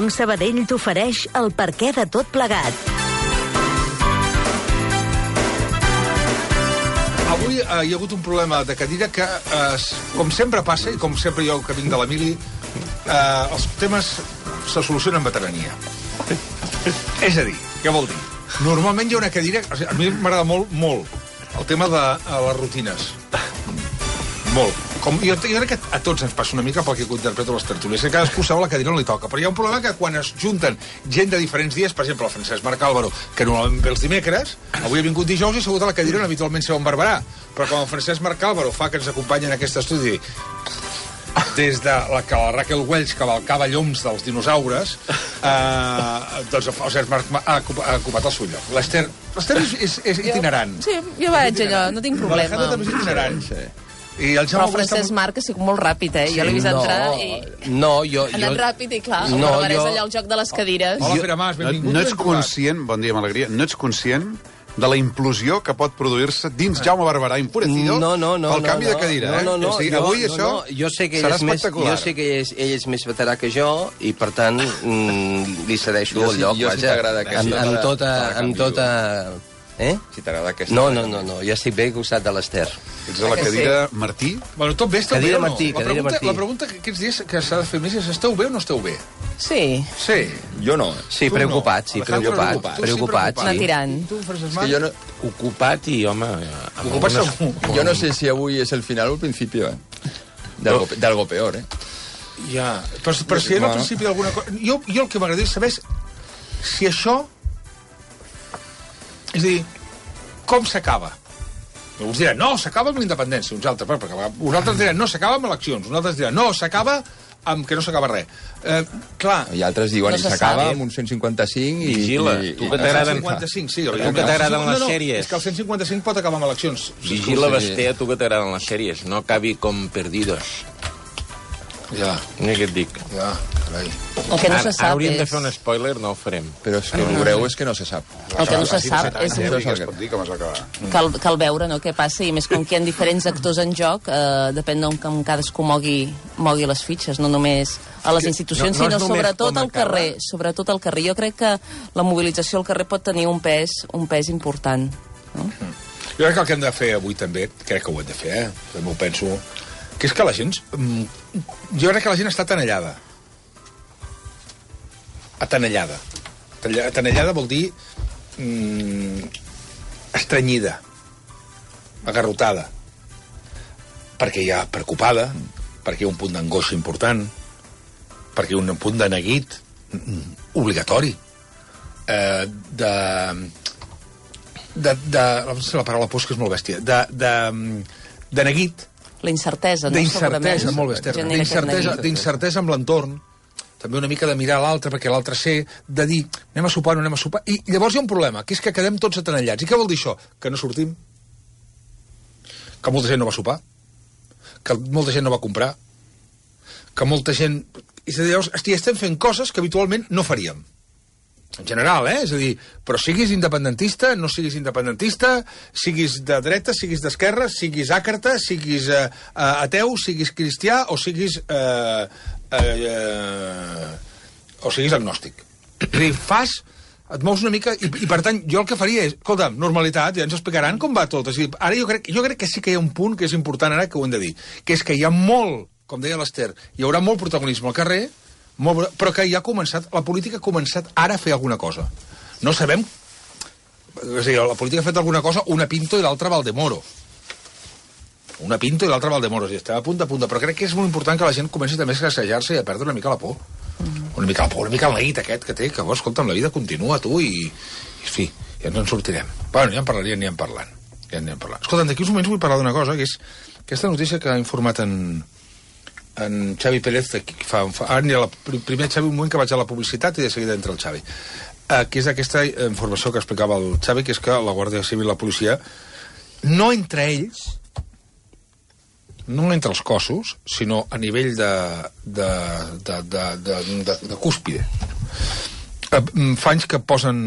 Banc Sabadell t'ofereix el perquè de tot plegat. Avui hi ha hagut un problema de cadira que, com sempre passa, i com sempre jo que vinc de l'Emili, els temes se solucionen amb veterania. És a dir, què vol dir? Normalment hi ha una cadira... O sigui, a mi m'agrada molt el tema de les rutines. Molt. Jo crec que a tots ens passa una mica pel que interpreto les tertúlies, que cadascú sap la cadira on li toca. Però hi ha un problema que quan es junten gent de diferents dies, per exemple, el Francesc Marc Álvaro, que normalment ve els dimecres, avui ha vingut dijous i ha segut a la cadira on habitualment seu en Barberà. Però quan el Francesc Marc Álvaro fa que ens acompanya en aquest estudi des de que la Raquel Welch cavalcava lloms dels dinosaures, doncs el Francesc Marc ha ocupat el seu lloc. L'Ester és itinerant. Sí, jo vaig allò, no tinc problema. L'Alejandro també és itinerant. I el però el Francesc Marc ha sigut molt ràpid, eh? Jo l'he vist entrar i... jo... Ha anat ràpid i clar, el Barberà és allà el joc de les cadires. Hola, Pere Mas, benvingut. No ets conscient, bon dia, m'alegria, no ets conscient de la implosió que pot produir-se dins Jaume Barberà Enfurecido pel canvi de cadira, eh? O sigui, avui això serà espectacular. Jo sé que ell és més veterà que jo i, per tant, li cedeixo el lloc, vaja. Si t'agrada aquesta... Amb tota... Si t'agrada aquesta... No, jo estic bé al costat de l'Ester. Ets a la cadira Martí? Bueno, tot bé, esteu bé o no? Cadira Martí. La pregunta que aquests dies que s'ha de fer més és: esteu bé o no esteu bé? Sí. Sí. Jo no. Sí, preocupat, sí, preocupat. Anar tirant. Tu, Francesc És Marc? que jo no... Ocupat i, home... Ocupat segur. Jo no sé si avui és el final o el principi, d'algo peor, Ja, però si era al principi d'alguna cosa... Jo el que m'agradaria saber és si això... És a dir, com s'acaba? Uns diran, no, s'acaba amb la independència, uns altres, perquè uns altres diran, no, s'acaba amb eleccions, uns altres diran, no, s'acaba amb que no s'acaba res. Clar... I altres diuen, No i se s'acaba sap. amb un 155 i... Vigila, tu que t'agraden... 155, sí. Tu que t'agraden les sèries. És que el 155 pot acabar amb eleccions. Vigila, Basté, tu que t'agraden les sèries. No acabi com Perdidos. Ja, Mira què et dic. ja, carai. El que no se Ara sap hauríem de és... fer un spoiler, no ho farem. Però és que el greu és que no se sap. El que no se sap és Ja es pot dir com es va acabar. cal veure, no?, què passa, i més com que hi ha diferents actors en joc, depèn d'on cadascú mogui les fitxes, no només a les institucions, no és sinó només sobretot com al acaba. carrer. Sobretot al carrer. Jo crec que la mobilització al carrer pot tenir un pes important. No? Jo crec que el que hem de fer avui també, crec que ho hem de fer, també ho penso, que és que la gent... Jo crec que la gent està atenellada. Atenellada. Atenellada vol dir estrenyida, agarrotada, perquè hi ha preocupada, perquè hi ha un punt d'angoixa important, perquè hi ha un punt de neguit obligatori, la paraula posca és molt bèstia, de neguit, La incertesa, no? d'incertesa, Segurament. molt bé, Genera aquest neguit. d'incertesa amb l'entorn, també una mica de mirar l'altre perquè l'altre sé, de dir, anem a sopar, no anem a sopar, i llavors hi ha un problema, que és que quedem tots atenellats. I què vol dir això? Que no sortim, que molta gent no va sopar, que molta gent no va comprar, que molta gent... És a dir, llavors, estem fent coses que habitualment no faríem. En general, És a dir, però siguis independentista, no siguis independentista, siguis de dreta, siguis d'esquerra, siguis àcrata, siguis ateu, siguis cristià o siguis agnòstic. És a dir, et mous una mica i per tant, jo el que faria és, escolta'm, normalitat, ja ens explicaran com va tot. És a dir, ara jo crec que sí que hi ha un punt que és important ara que ho hem de dir, que és que hi ha molt, com deia l'Ester, hi haurà molt protagonisme al carrer, però que ja ha començat, la política ha començat ara a fer alguna cosa. No sabem... És a dir, la política ha fet alguna cosa, una Pinto i l'altra Valdemoro. Una Pinto i l'altra Valdemoro. I estem a punt, però crec que és molt important que la gent comenci també a assajar-se i a perdre una mica la por. Una mica la por, una mica el neguit aquest que té, que, escolta'm, la vida continua, tu, i en fi, ja ens en sortirem. Bueno, ja en anirem parlant. Escolta'm, d'aquí uns moments vull parlar d'una cosa, que és aquesta notícia que ha informat en Xavi Pérez, ara anirà primer Xavi un moment que vaig a la publicitat i de seguida entra el Xavi, que és aquesta informació que explicava el Xavi, que és que la Guàrdia Civil i la policia, no entre ells, no entre els cossos, sinó a nivell de cúspide, Fa anys que posen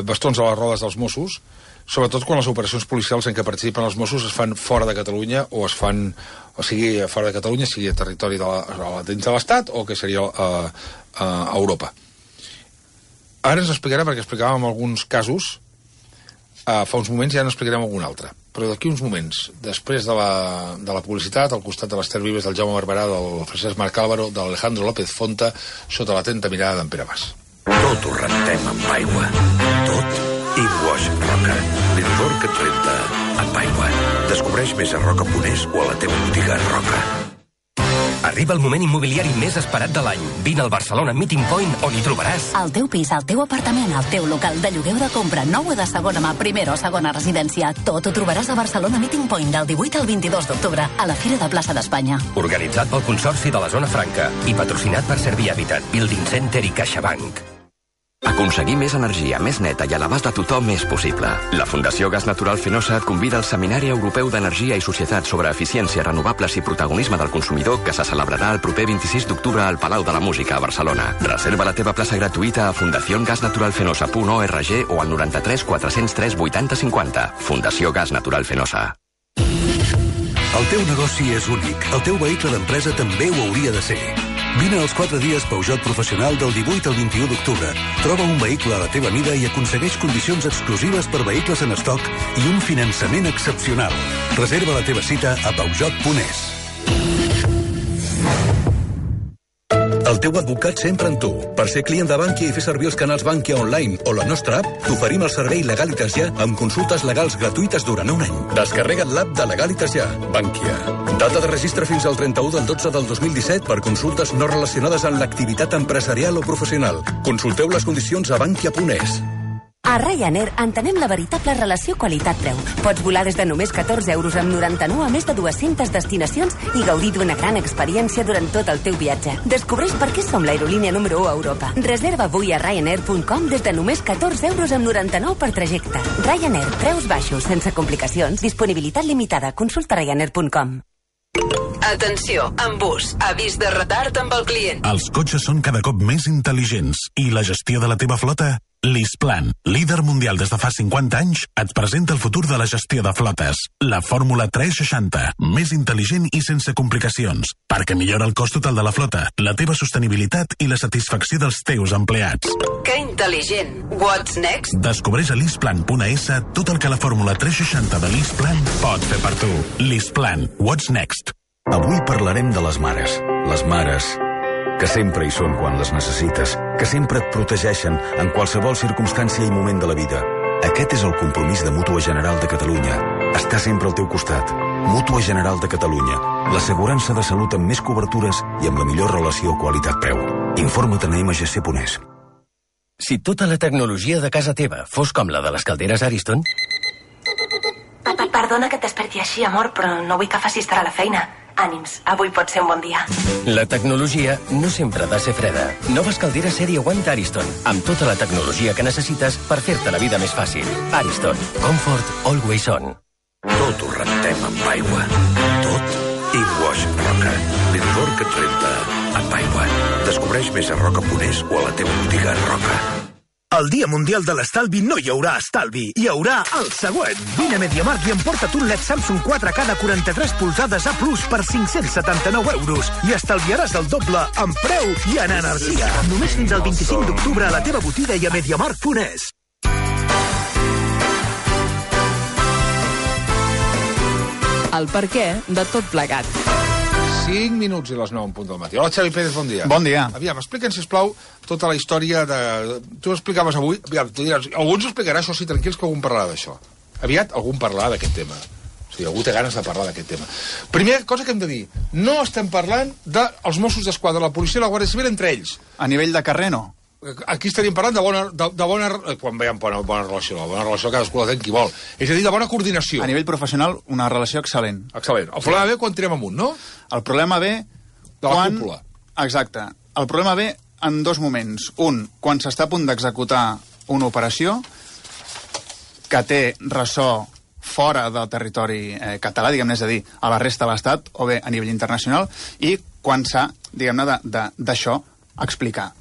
bastons a les rodes dels Mossos, sobretot quan les operacions policials en què participen els Mossos es fan fora de Catalunya o sigui fora de Catalunya, sigui a territori dins de l'Estat o que seria a Europa. Ara ens explicarà, perquè explicàvem alguns casos fa uns moments, ja n'explicarem algun altre. Però d'aquí uns moments, després de la publicitat, al costat de l'Ester Vives, del Jaume Barberà, del Francesc Marc Álvaro, de l'Alejandro López Fonta, sota l'atenta mirada d'en Pere Mas. Tot ho rentem amb aigua. Tot InWash Roca. L'indor que et renta amb aigua. Descobreix més a roca.es o a la teva botiga Roca. Arriba el moment immobiliari més esperat de l'any. Vine al Barcelona Meeting Point, on hi trobaràs el teu pis, el teu apartament, el teu local de lloguer o de compra, nou o de segona mà, primera o segona residència. Tot ho trobaràs a Barcelona Meeting Point del 18 al 22 d'octubre a la Fira de Plaça d'Espanya. Organitzat pel Consorci de la Zona Franca i patrocinat per Servir Habitat, Building Center i CaixaBank. Aconseguir més energia, més neta i a l'abast de tothom és possible. La Fundació Gas Natural Fenosa et convida al Seminari Europeu d'Energia i Societat sobre Eficiència, Renovables i Protagonisme del Consumidor, que se celebrarà el proper 26 d'octubre al Palau de la Música a Barcelona. Reserva la teva plaça gratuïta a fundaciongasnaturalfenosa.org o al 93 403 80 50. Fundació Gas Natural Fenosa. El teu negoci és únic. El teu vehicle d'empresa també ho hauria de ser. Vine als 4 dies Peugeot Professional del 18 al 21 d'octubre. Troba un vehicle a la teva mida i aconsegueix condicions exclusives per vehicles en estoc i un finançament excepcional. Reserva la teva cita a peugeot.es. El teu advocat sempre amb tu. Per ser client de Bankia i fer servir els canals Bankia Online o la nostra app, t'oferim el servei Legalitas Ja amb consultes legals gratuïtes durant un any. Descarrega't l'app de Legalitas Ja. Bankia. Data de registre fins al 31 del 12 del 2017 per consultes no relacionades amb l'activitat empresarial o professional. Consulteu les condicions a bankia.es. A Ryanair entenem la veritable relació qualitat-preu. Pots volar des de només 14 euros amb 99 a més de 200 destinacions i gaudir d'una gran experiència durant tot el teu viatge. Descobreix per què som l'aerolínia número 1 a Europa. Reserva avui a Ryanair.com des de només 14 euros amb 99 per trajecte. Ryanair, preus baixos, sense complicacions, disponibilitat limitada. Consulta Ryanair.com. Atenció, en bus, avís de retard amb el client. Els cotxes són cada cop més intel·ligents i la gestió de la teva flota? LeasePlan, líder mundial des de fa 50 anys, et presenta el futur de la gestió de flotes. La fórmula 360, més intel·ligent i sense complicacions, perquè millora el cost total de la flota, la teva sostenibilitat i la satisfacció dels teus empleats. Que intel·ligent! What's next? Descobreix a leaseplan.es tot el que la fórmula 360 de LeasePlan pot fer per tu. LeasePlan, what's next? Avui parlarem de les mares. Les mares que sempre hi són quan les necessites, que sempre et protegeixen en qualsevol circumstància i moment de la vida. Aquest és el compromís de Mútua General de Catalunya. Està sempre al teu costat. Mútua General de Catalunya. L'assegurança de salut amb més cobertures i amb la millor relació qualitat-preu. Informa't a mgc.es. Si tota la tecnologia de casa teva fos com la de les calderes Ariston... Perdona que et desperti així, amor, però no vull que facis tard a la feina. Ànims, avui pot ser un bon dia. La tecnologia no sempre ha de ser freda. Noves calderes sèrie Aguanta Ariston, amb tota la tecnologia que necessites per fer-te la vida més fàcil. Ariston, comfort always on. Tot ho rentem amb aigua. Tot InWash Roca. L'indor que et renta amb aigua. Descobreix més a roca.es o a la teva botiga Roca. El Dia Mundial de l'Estalvi no hi haurà estalvi, hi haurà el següent. Vine a MediaMarkt i emporta't un LED Samsung 4K de 43 polzades A+ per 579 euros i estalviaràs el doble en preu i en energia. Només fins al 25 d'octubre a la teva botiga i a MediaMarkt.es. El perquè de tot plegat. 5 minuts i les 9 en punt del matí. Hola, Xavi Pérez, bon dia. Bon dia. Aviam, explica'ns, sisplau, tota la història de... Tu explicaves avui... Aviam, tu diràs... Algú ens ho explicarà, això sí, tranquils, que algú en parlarà d'això. Aviat algú en parlarà d'aquest tema. O sigui, algú té ganes de parlar d'aquest tema. Primera cosa que hem de dir, no estem parlant dels Mossos d'Esquadra, la policia i la Guàrdia Civil entre ells. A nivell de carrer, no. Aquí estaríem parlant de bona quan veiem bona relació, la bona relació cadascú la té qui vol. És a dir, de bona coordinació. A nivell professional, una relació excel·lent. Excel·lent. El problema ve quan tirem amunt, no? El problema ve de la cúpula. Exacte. El problema ve en dos moments. Un, quan s'està a punt d'executar una operació que té ressò fora del territori català, diguem-ne, és a dir, a la resta de l'Estat, o bé a nivell internacional, i quan s'ha, diguem-ne, d'això explicar.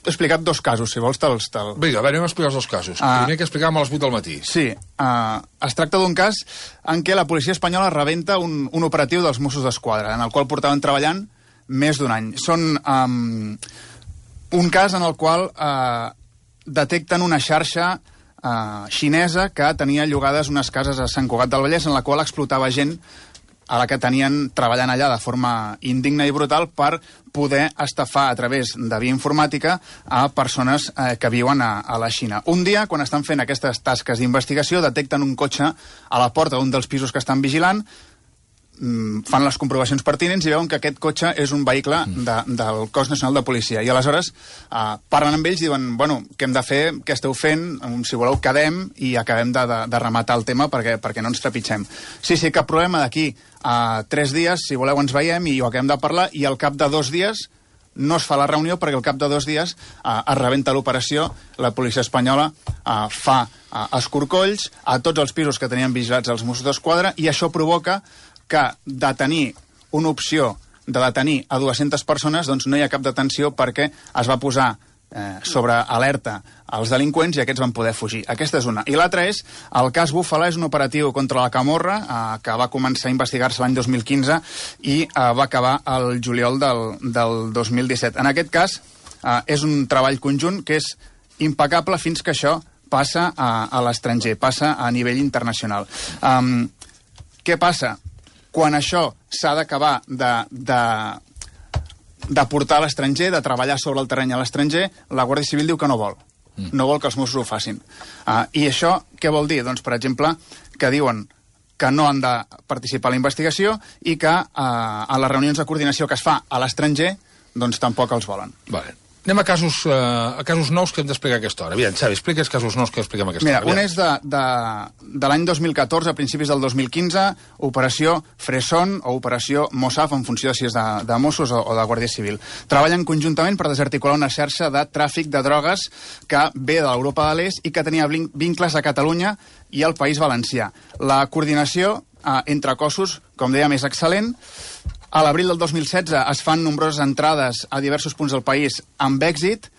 explicat dos casos, si vols te'ls... Vinga, anem a explicar els dos casos. Primer que explicàvem a les 8 del matí. Sí, es tracta d'un cas en què la policia espanyola rebenta un operatiu dels Mossos d'Esquadra, en el qual portaven treballant més d'un any. Són un cas en el qual detecten una xarxa xinesa que tenia llogades unes cases a Sant Cugat del Vallès en la qual explotava gent a la que tenien treballant allà de forma indigna i brutal per poder estafar a través de via informàtica a persones que viuen a la Xina. Un dia, quan estan fent aquestes tasques d'investigació, detecten un cotxe a la porta d'un dels pisos que estan vigilant, fan les comprovacions pertinents i veuen que aquest cotxe és un vehicle del Cos Nacional de Policia. I aleshores parlen amb ells i diuen, bueno, què hem de fer, què esteu fent, si voleu quedem i acabem de rematar el tema perquè no ens trepitgem. Sí, cap problema, d'aquí a 3 dies, si voleu ens veiem i ho acabem de parlar, i al cap de 2 dies no es fa la reunió perquè al cap de 2 dies es rebenta l'operació, la policia espanyola fa escorcolls a tots els pisos que tenien vigilats els Mossos d'Esquadra i això provoca que de tenir una opció de detenir a 200 persones, doncs no hi ha cap detenció perquè es va posar sobre alerta als delinqüents i aquests van poder fugir. Aquesta és una. I l'altra és, el cas Búfala és un operatiu contra la Camorra que va començar a investigar-se l'any 2015 i va acabar el juliol del 2017. En aquest cas és un treball conjunt que és impecable fins que això passa a l'estranger, passa a nivell internacional. Què passa? Quan això s'ha d'acabar de portar a l'estranger, de treballar sobre el terreny a l'estranger, la Guàrdia Civil diu que no vol. No vol que els Mossos ho facin. I això què vol dir? Doncs, per exemple, que diuen que no han de participar a la investigació i que a les reunions de coordinació que es fa a l'estranger, doncs tampoc els volen. Vale. Anem a casos nous que hem d'explicar a aquesta hora. Aviam, Xavi, explica els casos nous que expliquem a aquesta hora. Mira, un és de l'any 2014, a principis del 2015, Operació Fresson o Operació Mossaf, en funció de si és de Mossos o de Guàrdia Civil. Treballen conjuntament per desarticular una xarxa de tràfic de drogues que ve de l'Europa de l'Est i que tenia vincles a Catalunya i al País Valencià. La coordinació entre cossos, com dèiem, és excel·lent. A l'abril del 2016 es fan nombroses entrades a diversos punts del país amb èxit,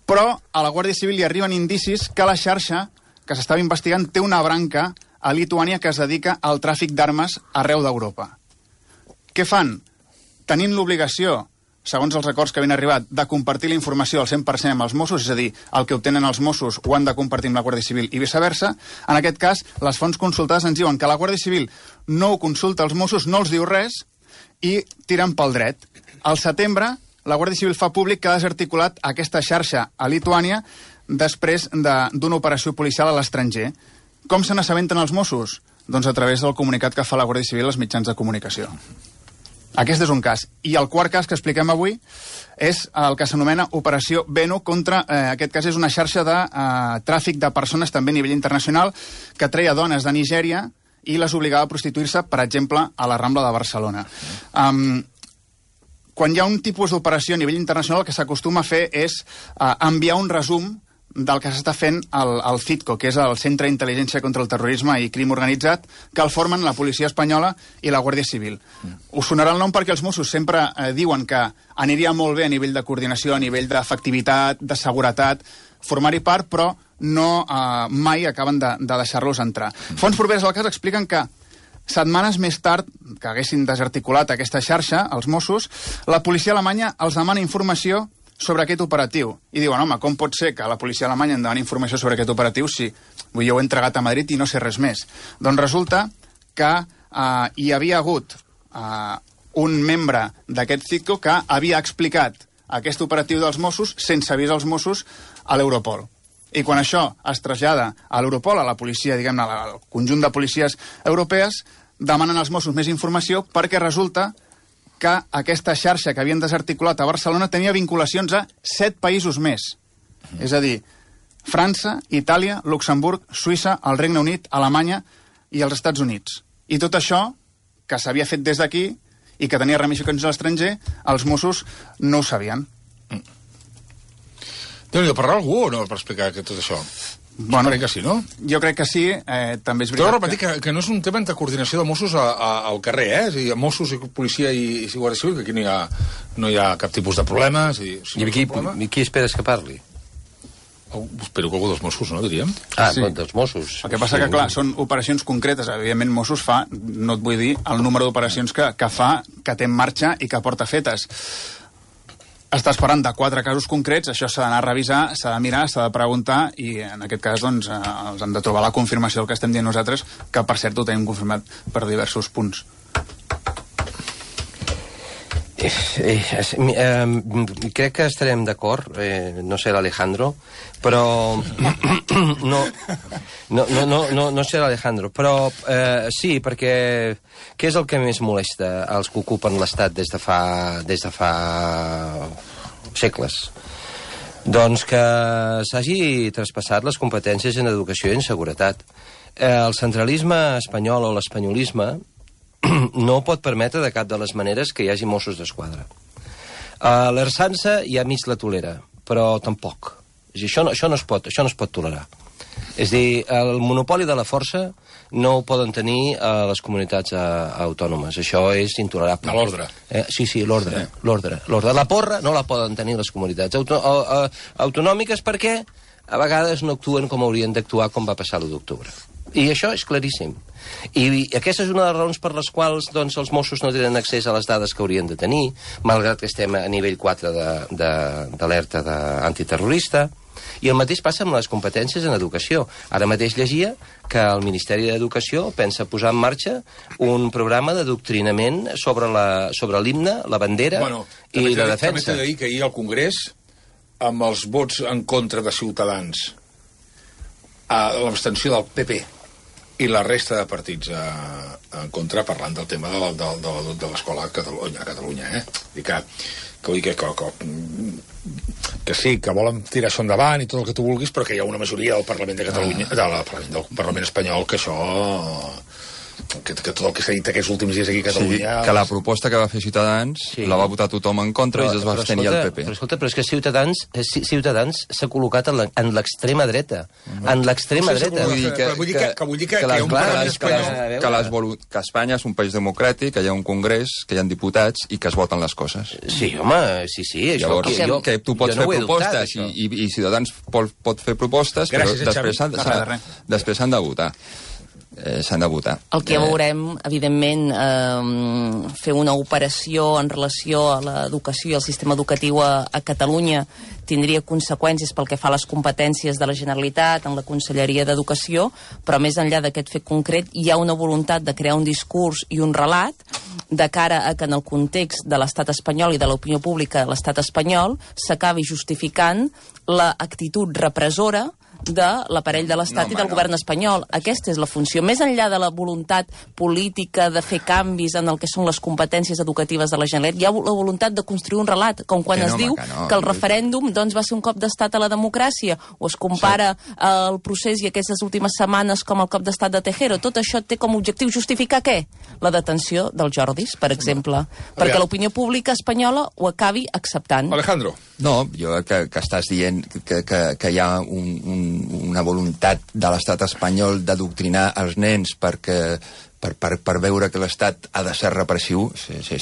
però a la Guàrdia Civil hi arriben indicis que la xarxa que s'estava investigant té una branca a Lituània que es dedica al tràfic d'armes arreu d'Europa. Què fan? Tenint l'obligació, segons els acords que havien arribat, de compartir la informació al 100% amb els Mossos, és a dir, el que obtenen els Mossos ho han de compartir amb la Guàrdia Civil i viceversa, en aquest cas, les fonts consultades ens diuen que la Guàrdia Civil no ho consulta als Mossos, no els diu res, i tiren pel dret. Al setembre, la Guàrdia Civil fa públic que ha desarticulat aquesta xarxa a Lituània després d'una operació policial a l'estranger. Com se n'assabenten els Mossos? Doncs a través del comunicat que fa la Guàrdia Civil als mitjans de comunicació. Aquest és un cas. I el quart cas que expliquem avui és el que s'anomena Operació Veno contra, aquest cas és una xarxa de tràfic de persones també a nivell internacional que treia dones de Nigèria i les obligava a prostituir-se, per exemple, a la Rambla de Barcelona. Quan hi ha un tipus d'operació a nivell internacional, el que s'acostuma a fer és enviar un resum del que s'està fent al CITCO, que és el Centre d'Intel·ligència contra el Terrorisme i Crim Organitzat, que el formen la policia espanyola i la Guàrdia Civil. Us sonarà el nom perquè els Mossos sempre diuen que aniria molt bé a nivell de coordinació, a nivell d'efectivitat, de seguretat, formar-hi part, però mai acaben de deixar-los entrar. Fonts properes al cas expliquen que setmanes més tard que haguessin desarticulat aquesta xarxa, els Mossos, la policia alemanya els demana informació sobre aquest operatiu. I diuen, home, com pot ser que la policia alemanya em demani informació sobre aquest operatiu si jo ho he entregat a Madrid i no sé res més? Doncs resulta que hi havia hagut un membre d'aquest CITCO que havia explicat aquest operatiu dels Mossos sense avisar els Mossos a l'Europol. I quan això es trasllada a l'Europol, a la policia, diguem-ne, al conjunt de policies europees, demanen als Mossos més informació perquè resulta que aquesta xarxa que havien desarticulat a Barcelona tenia vinculacions a 7 països més. És a dir, França, Itàlia, Luxemburg, Suïssa, el Regne Unit, Alemanya i els Estats Units. I tot això, que s'havia fet des d'aquí i que tenia ramificacions a l'estranger, els Mossos no ho sabien. Déu-n'hi-do, parlar algú o no per explicar tot això? Bueno, crec que sí, no? Jo crec que sí, també és veritat... Però repetir que no és un tema de coordinació de Mossos al carrer, És a dir, Mossos i policia i Guàrdia Civil, que aquí no hi ha cap tipus de problema. I qui esperes que parli? Espero que algú dels Mossos, no, diríem? Sí. Dels Mossos. El que passa que, clar, són operacions concretes. Evidentment, Mossos fa, no et vull dir, el número d'operacions que fa, que té en marxa i que porta fetes. Estàs parlant de 4 casos concrets, això s'ha d'anar a revisar, s'ha de mirar, s'ha de preguntar, i en aquest cas, doncs, els hem de trobar la confirmació del que estem dient nosaltres, que, per cert, ho tenim confirmat per diversos punts. Crec que estarem d'acord, no sé l'Alejandro, però no sé l'Alejandro, però sí, perquè què és el que més molesta als que ocupen l'Estat des de fa segles? Doncs que s'hagi traspassat les competències en educació i en seguretat. El centralisme espanyol o l'espanyolisme no pot permetre de cap de les maneres que hi hagi Mossos d'Esquadra. L'Ersança ja mig la tolera, però tampoc. Això no es pot tolerar. És a dir, el monopoli de la força no ho poden tenir les comunitats autònomes. Això és intolerable. L'ordre. Sí, l'ordre. La porra no la poden tenir les comunitats autonòmiques perquè a vegades no actuen com haurien d'actuar, com va passar l'1 d'octubre. I això és claríssim. I aquesta és una de les raons per les quals doncs, els Mossos no tenen accés a les dades que haurien de tenir, malgrat que estem a nivell 4 d'alerta antiterrorista. I el mateix passa amb les competències en educació. Ara mateix llegia que el Ministeri d'Educació pensa posar en marxa un programa d'adoctrinament sobre l'himne, la bandera i la defensa. També t'he de dir que ahir al Congrés, amb els vots en contra de Ciutadans, a l'abstenció del PP i la resta de partits en contra, parlant del tema de l'escola a Catalunya, I que vull dir que sí, que volen tirar això endavant i tot el que tu vulguis, però que hi ha una majoria del Parlament de Catalunya, del Parlament espanyol, que això... que tot el que s'ha dit aquests últims dies aquí a Catalunya... Sí, que la proposta que va fer Ciutadans la va votar tothom en contra i es va abstenir el PP. Però és que Ciutadans s'ha col·locat en l'extrema dreta. En l'extrema dreta. Vull dir que hi ha un Parlament espanyol... Que Espanya és un país democràtic, que hi ha un congrés, que hi ha diputats i que es voten les coses. Sí, home, sí. Llavors, que tu pots fer propostes i Ciutadans pot fer propostes, però després s'han de votar. S'han de votar. El que veurem, evidentment, fer una operació en relació a l'educació i al sistema educatiu a Catalunya tindria conseqüències pel que fa a les competències de la Generalitat en la Conselleria d'Educació, però més enllà d'aquest fet concret hi ha una voluntat de crear un discurs i un relat de cara a que en el context de l'estat espanyol i de l'opinió pública de l'estat espanyol s'acabi justificant l'actitud repressora de l'aparell de l'Estat i del govern espanyol. Aquesta és la funció. Més enllà de la voluntat política de fer canvis en el que són les competències educatives de la Generalitat, hi ha la voluntat de construir un relat, com quan es diu que el referèndum doncs, va ser un cop d'estat a la democràcia, o es compara el procés i aquestes últimes setmanes com el cop d'estat de Tejero. Tot això té com a objectiu justificar què? La detenció del Jordis, per exemple, perquè l'opinió pública espanyola ho acabi acceptant. Alejandro. No, jo que estàs dient que hi ha una voluntat de l'estat espanyol d'adoctrinar els nens per veure que l'Estat ha de ser repressiu.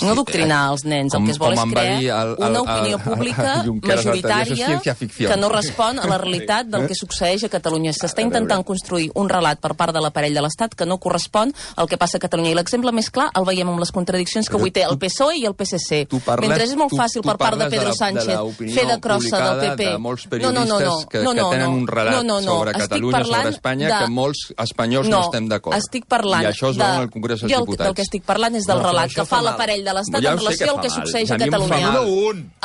No adoctrinar els nens, el que es vol és crear una opinió pública majoritària que no respon a la realitat del que succeeix a Catalunya. S'està intentant construir un relat per part de l'aparell de l'Estat que no correspon al que passa a Catalunya. I l'exemple més clar el veiem amb les contradiccions que avui té el PSOE i el PSC. Mentre és molt fàcil per part de Pedro Sánchez fer de crossa del PP. De molts periodistes que tenen un relat sobre Catalunya, sobre Espanya, que molts espanyols no estem d'acord. Estic parlant al Congrés dels Diputats. Del que estic parlant és del relat que fa l'aparell de l'Estat en relació al que succeeix a Catalunya.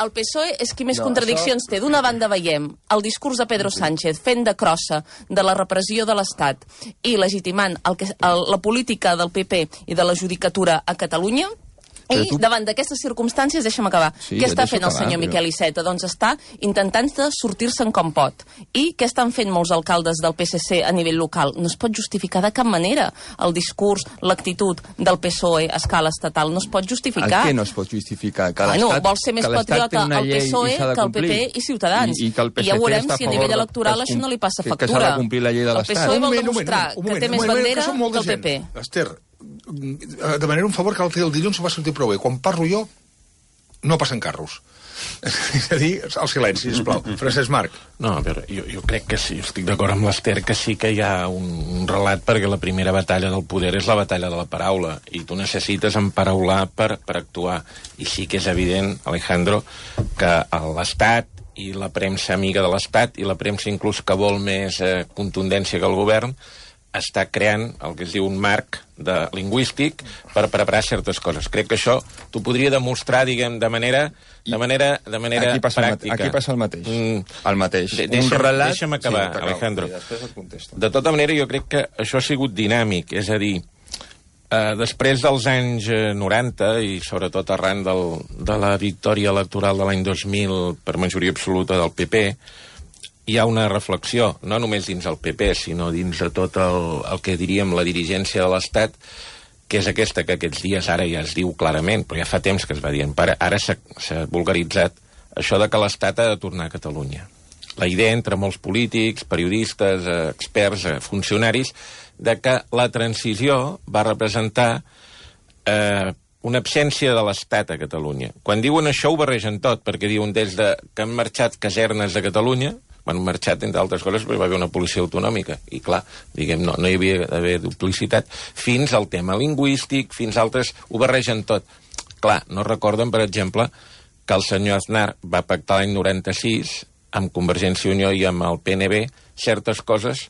El PSOE és qui més contradiccions té. D'una banda veiem el discurs de Pedro Sánchez fent de crossa de la repressió de l'Estat i legitimant la política del PP i de la judicatura a Catalunya, I davant d'aquestes circumstàncies, deixa'm acabar, què està fent el senyor Miquel Iceta? Doncs està intentant sortir-se'n com pot. I què estan fent molts alcaldes del PSC a nivell local? No es pot justificar de cap manera el discurs, l'actitud del PSOE a escala estatal. No es pot justificar. El que no es pot justificar? Vol ser més patriota el PSOE que el PP i Ciutadans. I ja veurem si a nivell electoral això no li passa factura. Que s'ha de complir la llei de l'Estat. El PSOE vol demostrar que té més bandera que el PP. Esther, demanaré un favor que l'altre dia el dilluns va sortir prou bé. Quan parlo jo, no passen carros. És a dir, el silenci, sisplau. Francesc Marc. No, a veure, jo crec que sí, estic d'acord amb l'Esther, que sí que hi ha un relat, perquè la primera batalla del poder és la batalla de la paraula, i tu necessites emparaular per actuar. I sí que és evident, Alejandro, que l'Estat i la premsa amiga de l'Estat, i la premsa inclús que vol més contundència que el govern, està creant el que es diu un marc lingüístic per preparar certes coses. Crec que això t'ho podria demostrar, diguem, de manera pràctica. Aquí passa el mateix. El mateix. Deixa'm acabar, sí, Alejandro. De tota manera, jo crec que això ha sigut dinàmic, és a dir, després dels anys 90 i sobretot arran de la victòria electoral de l'any 2000 per majoria absoluta del PP, hi ha una reflexió, no només dins el PP, sinó dins de tot el que diríem la dirigència de l'Estat, que és aquesta que aquests dies ara ja es diu clarament, però ja fa temps que es va dir, ara s'ha vulgaritzat això de que l'Estat ha de tornar a Catalunya. La idea entre molts polítics, periodistes, experts, funcionaris, de que la transició va representar una absència de l'Estat a Catalunya. Quan diuen això ho barregen tot, perquè diuen des que han marxat casernes de Catalunya, van marxat, entre altres coses, perquè va haver una policia autonòmica. I clar, diguem, no hi havia d'haver duplicitat. Fins al tema lingüístic, fins altres, ho barregen tot. Clar, no recorden, per exemple, que el senyor Aznar va pactar l'any 96 amb Convergència i Unió i amb el PNB certes coses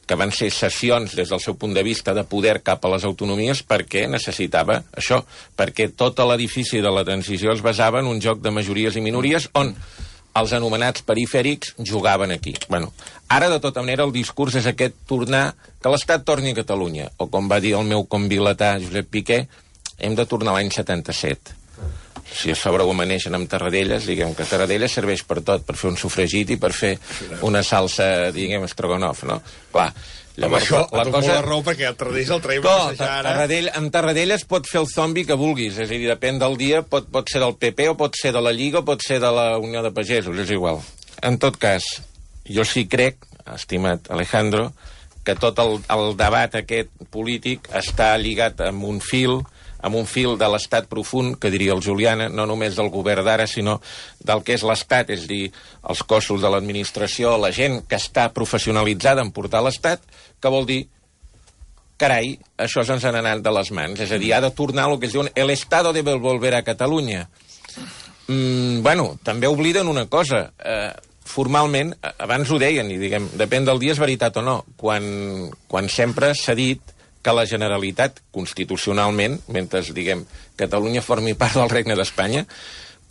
que van ser cessions des del seu punt de vista de poder cap a les autonomies perquè necessitava això, perquè tot l'edifici de la transició es basava en un joc de majories i minories on els anomenats perifèrics jugaven aquí. Bueno, ara, de tota manera, el discurs és aquest tornar, que l'Estat torni a Catalunya. O, com va dir el meu convilatà Josep Piqué, hem de tornar a l'any 77. Si a sobre ho amaneixen amb Tarradellas, diguem que Tarradellas serveix per tot, per fer un sofregit i per fer una salsa, diguem, stroganoff, no? Clar, llavors, la cosa... la raó perquè el Tarradellas el traiem a passejar ara... Amb Tarradellas pot fer el zombi que vulguis, és a dir, depèn del dia, pot ser del PP o pot ser de la Lliga o pot ser de la Unió de Pagesos, és igual. En tot cas, jo sí crec, estimat Alejandro, que tot el debat aquest polític està lligat amb un fil de l'estat profund, que diria el Juliana, no només del govern d'ara, sinó del que és l'estat, és a dir, els cossos de l'administració, la gent que està professionalitzada en portar l'estat, que vol dir, carai, això se'ns ha anat de les mans, és a dir, ha de tornar el que es diu el Estado debe volver a Catalunya. Bueno, també obliden una cosa, formalment, abans ho deien, i diguem, depèn del dia és veritat o no, quan sempre s'ha dit que la Generalitat, constitucionalment, mentre, diguem, Catalunya formi part del Regne d'Espanya,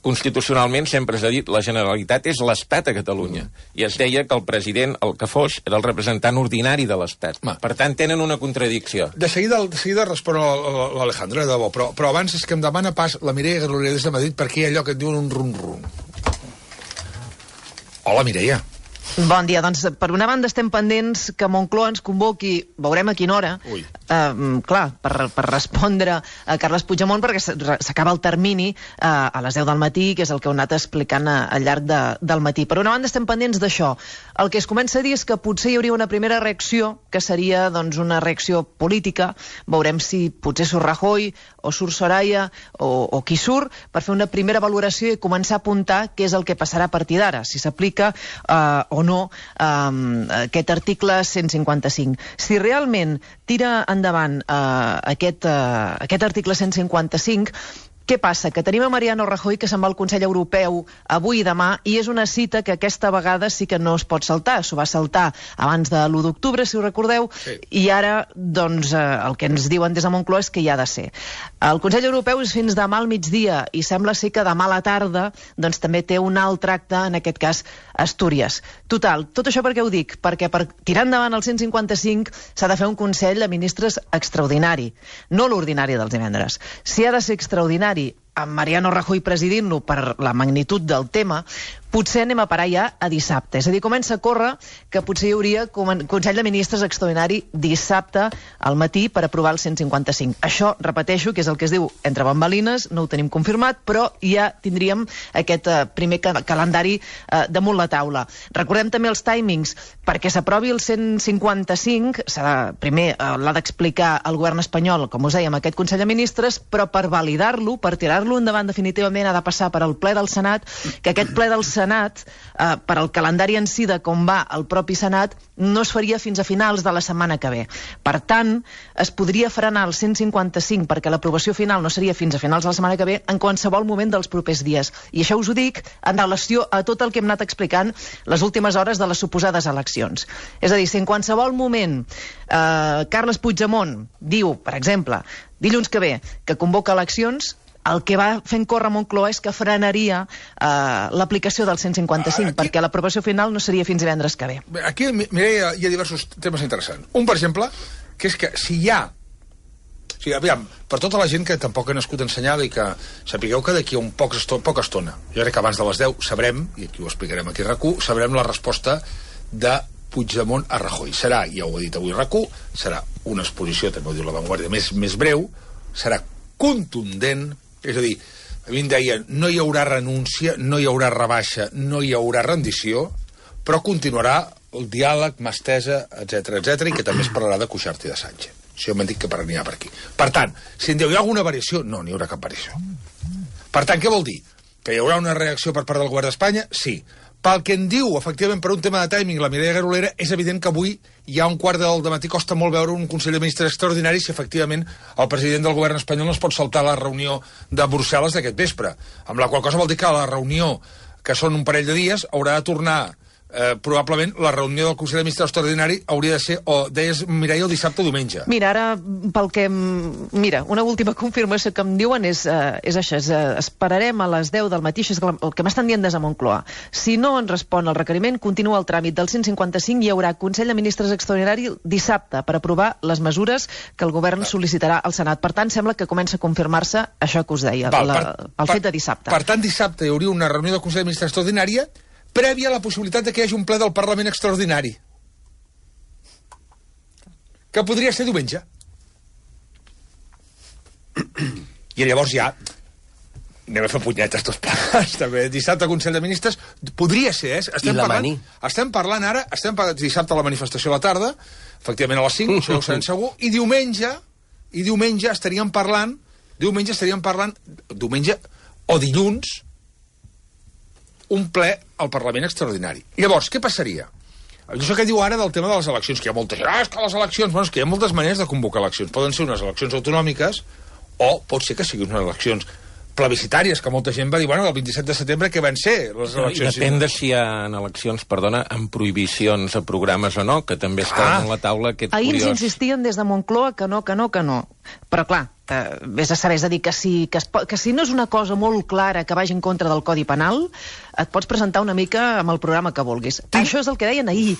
constitucionalment sempre s'ha dit la Generalitat és l'Estat a Catalunya. I es deia que el president, el que fos, era el representant ordinari de l'Estat. Per tant, tenen una contradicció. De seguida respon l'Alejandro, de debò, però abans és que em demana pas la Mireia Garolera des de Madrid perquè hi ha allò que et diuen un rum-rum. Hola, Mireia. Bon dia. Doncs, per una banda, estem pendents que Moncloa ens convoqui, veurem a quina hora, clar, per respondre a Carles Puigdemont, perquè s'acaba el termini a les 10 del matí, que és el que heu anat explicant al llarg del matí. Per una banda, estem pendents d'això. El que es comença a dir és que potser hi hauria una primera reacció, que seria doncs, una reacció política. Veurem si potser surt Rajoy o surt Soraya o qui surt, per fer una primera valoració i començar a apuntar què és el que passarà a partir d'ara, si s'aplica o no aquest article 155. Si realment tira endavant aquest article 155, Què passa? Que tenim a Mariano Rajoy que se'n va al Consell Europeu avui i demà i és una cita que aquesta vegada sí que no es pot saltar. S'ho va saltar abans de l'1 d'octubre, si ho recordeu, i ara, doncs, el que ens diuen des de Moncloa és que hi ha de ser. El Consell Europeu és fins demà al migdia i sembla ser que demà a la tarda doncs, també té un altre acte, en aquest cas Astúries. Total, tot això per què ho dic? Perquè per tirar endavant el 155 s'ha de fer un Consell de Ministres extraordinari, no l'ordinari dels divendres. Si ha de ser extraordinari amb Mariano Rajoy presidint-lo per la magnitud del tema, potser anem a parar ja a dissabte. És a dir, comença a córrer que potser hi hauria Consell de Ministres extraordinari dissabte al matí per aprovar el 155. Això, repeteixo, que és el que es diu entre bambalines, no ho tenim confirmat, però ja tindríem aquest primer calendari damunt la taula. Recordem també els timings. Perquè s'aprovi el 155, primer l'ha d'explicar el govern espanyol, com us dèiem, aquest Consell de Ministres, però per validar-lo, per tirar-lo endavant definitivament, ha de passar per al ple del Senat, que aquest ple del Senat, per al calendari en si de com va el propi Senat, no es faria fins a finals de la setmana que ve. Per tant, es podria frenar el 155 perquè l'aprovació final no seria fins a finals de la setmana que ve en qualsevol moment dels propers dies. I això us ho dic en relació a tot el que hem anat explicant les últimes hores de les suposades eleccions. És a dir, si en qualsevol moment Carles Puigdemont diu, per exemple, dilluns que ve, que convoca eleccions, el que va fent córrer Moncloa és que frenaria l'aplicació del 155, perquè l'aprovació final no seria fins divendres que ve. Aquí, Mireia, hi ha diversos temes interessants. Un, per exemple, que és que si hi ha... O sigui, aviam, per tota la gent que tampoc ha nascut ensenyada i que sapigueu que d'aquí a poca estona, jo crec que abans de les 10 sabrem, i aquí ho explicarem aquí a RAC1, sabrem la resposta de Puigdemont a Rajoy. Serà, ja ho ha dit avui RAC1, serà una exposició, també ho diu La Vanguardia, més breu, serà contundent. És a dir, a mi em deia, no hi haurà renúncia, no hi haurà rebaixa, no hi haurà rendició, però continuarà el diàleg, mà estesa, etc, i que també es parlarà de Cuixart i de Sánchez. Això m'han dit que anirà per aquí. Per tant, si em diu, hi ha alguna variació? No, n'hi haurà cap variació. Per tant, què vol dir? Que hi haurà una reacció per part del govern d'Espanya? Sí. Pel que em diu, efectivament, per un tema de timing, la Mireia Garolera, és evident que avui hi ha un quart del matí, costa molt veure un Consell de Ministres extraordinari si efectivament el president del govern espanyol no es pot saltar la reunió de Brussel·les d'aquest vespre. Amb la qual cosa vol dir que la reunió, que són un parell de dies, haurà de tornar probablement la reunió del Consell de Ministres extraordinari hauria de ser, o deies, Mireia, el dissabte o diumenge. Mira, ara, pel que... Mira, una última confirmació que em diuen és això, esperarem a les 10 del matí, això és el que m'estan dient des de Moncloa. Si no ens respon el requeriment, continua el tràmit del 155 i hi haurà Consell de Ministres extraordinari dissabte per aprovar les mesures que el govern sol·licitarà al Senat. Per tant, sembla que comença a confirmar-se això que us deia, el fet de dissabte. Per tant, dissabte hi hauria una reunió del Consell de Ministres extraordinària prèvia a la possibilitat de que hi hagi un ple del Parlament extraordinari. Que podria ser diumenge. I llavors ja anem a fer punyetes tots plegats, també. Dissabte Consell de Ministres podria ser, estem parlant ara, dissabte la manifestació a la tarda, efectivament a les 5, això ja ho sabem segur, i diumenge estaríem parlant, diumenge o dilluns, un ple al Parlament extraordinari. Llavors, què passaria? Això que diu ara del tema de les eleccions, que hi ha molta gent, és que les eleccions... Bueno, és que hi ha moltes maneres de convocar eleccions. Poden ser unes eleccions autonòmiques o pot ser que siguin unes eleccions plebiscitàries, que molta gent va dir, bueno, el 27 de setembre què van ser les eleccions? I depèn de si hi ha eleccions, amb prohibicions a programes o no, que també està a la taula aquest Ahir curiós... ens insistien des de Moncloa que no. Però clar, vés a saber, és a dir, que si no és una cosa molt clara que vagi en contra del Codi Penal, et pots presentar una mica amb el programa que vulguis. Això és el que deien ahir.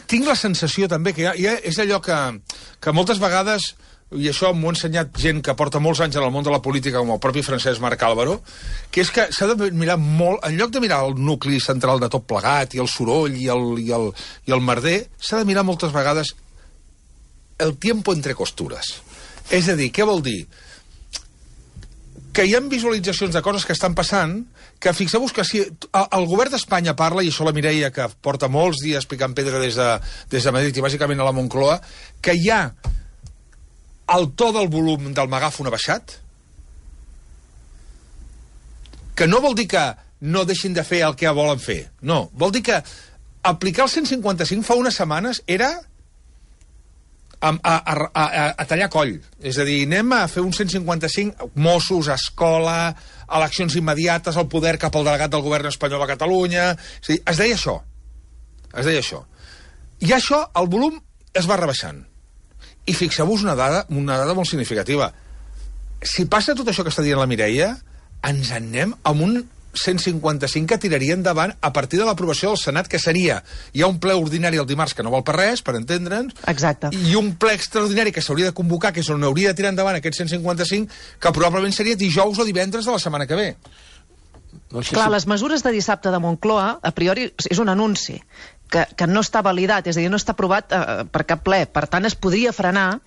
Tinc la sensació també que és allò que moltes vegades, i això m'ho ha ensenyat gent que porta molts anys en el món de la política, com el propi Francesc Marc Álvaro, que és que s'ha de mirar molt, en lloc de mirar el nucli central de tot plegat, i el soroll, i el merder, s'ha de mirar moltes vegades el tiempo entre costures. És a dir, què vol dir? Que hi ha visualitzacions de coses que estan passant, que fixeu-vos que si el govern d'Espanya parla, i això la Mireia, que porta molts dies picant pedra des de Madrid i bàsicament a la Moncloa, que hi ha el to del volum del megàfon abaixat, que no vol dir que no deixin de fer el que volen fer. No, vol dir que aplicar el 155 fa unes setmanes era a tallar coll. És a dir, anem a fer un 155, Mossos, escola, eleccions immediates, el poder cap al delegat del govern espanyol a Catalunya... És a dir, es deia això. Es deia això. I això, el volum es va rebaixant. I fixeu-vos una dada molt significativa. Si passa tot això que està dient la Mireia, ens en anem amb un 155 que tiraria endavant a partir de l'aprovació del Senat, que seria... Hi ha un ple ordinari el dimarts que no val per res, per entendre'ns. Exacte. I un ple extraordinari que s'hauria de convocar, que és on hauria de tirar endavant aquest 155, que probablement seria dijous o divendres de la setmana que ve. Clar, les mesures de dissabte de Moncloa, a priori, és un anunci que no està validat, és a dir, no està aprovat per cap ple. Per tant, es podria frenar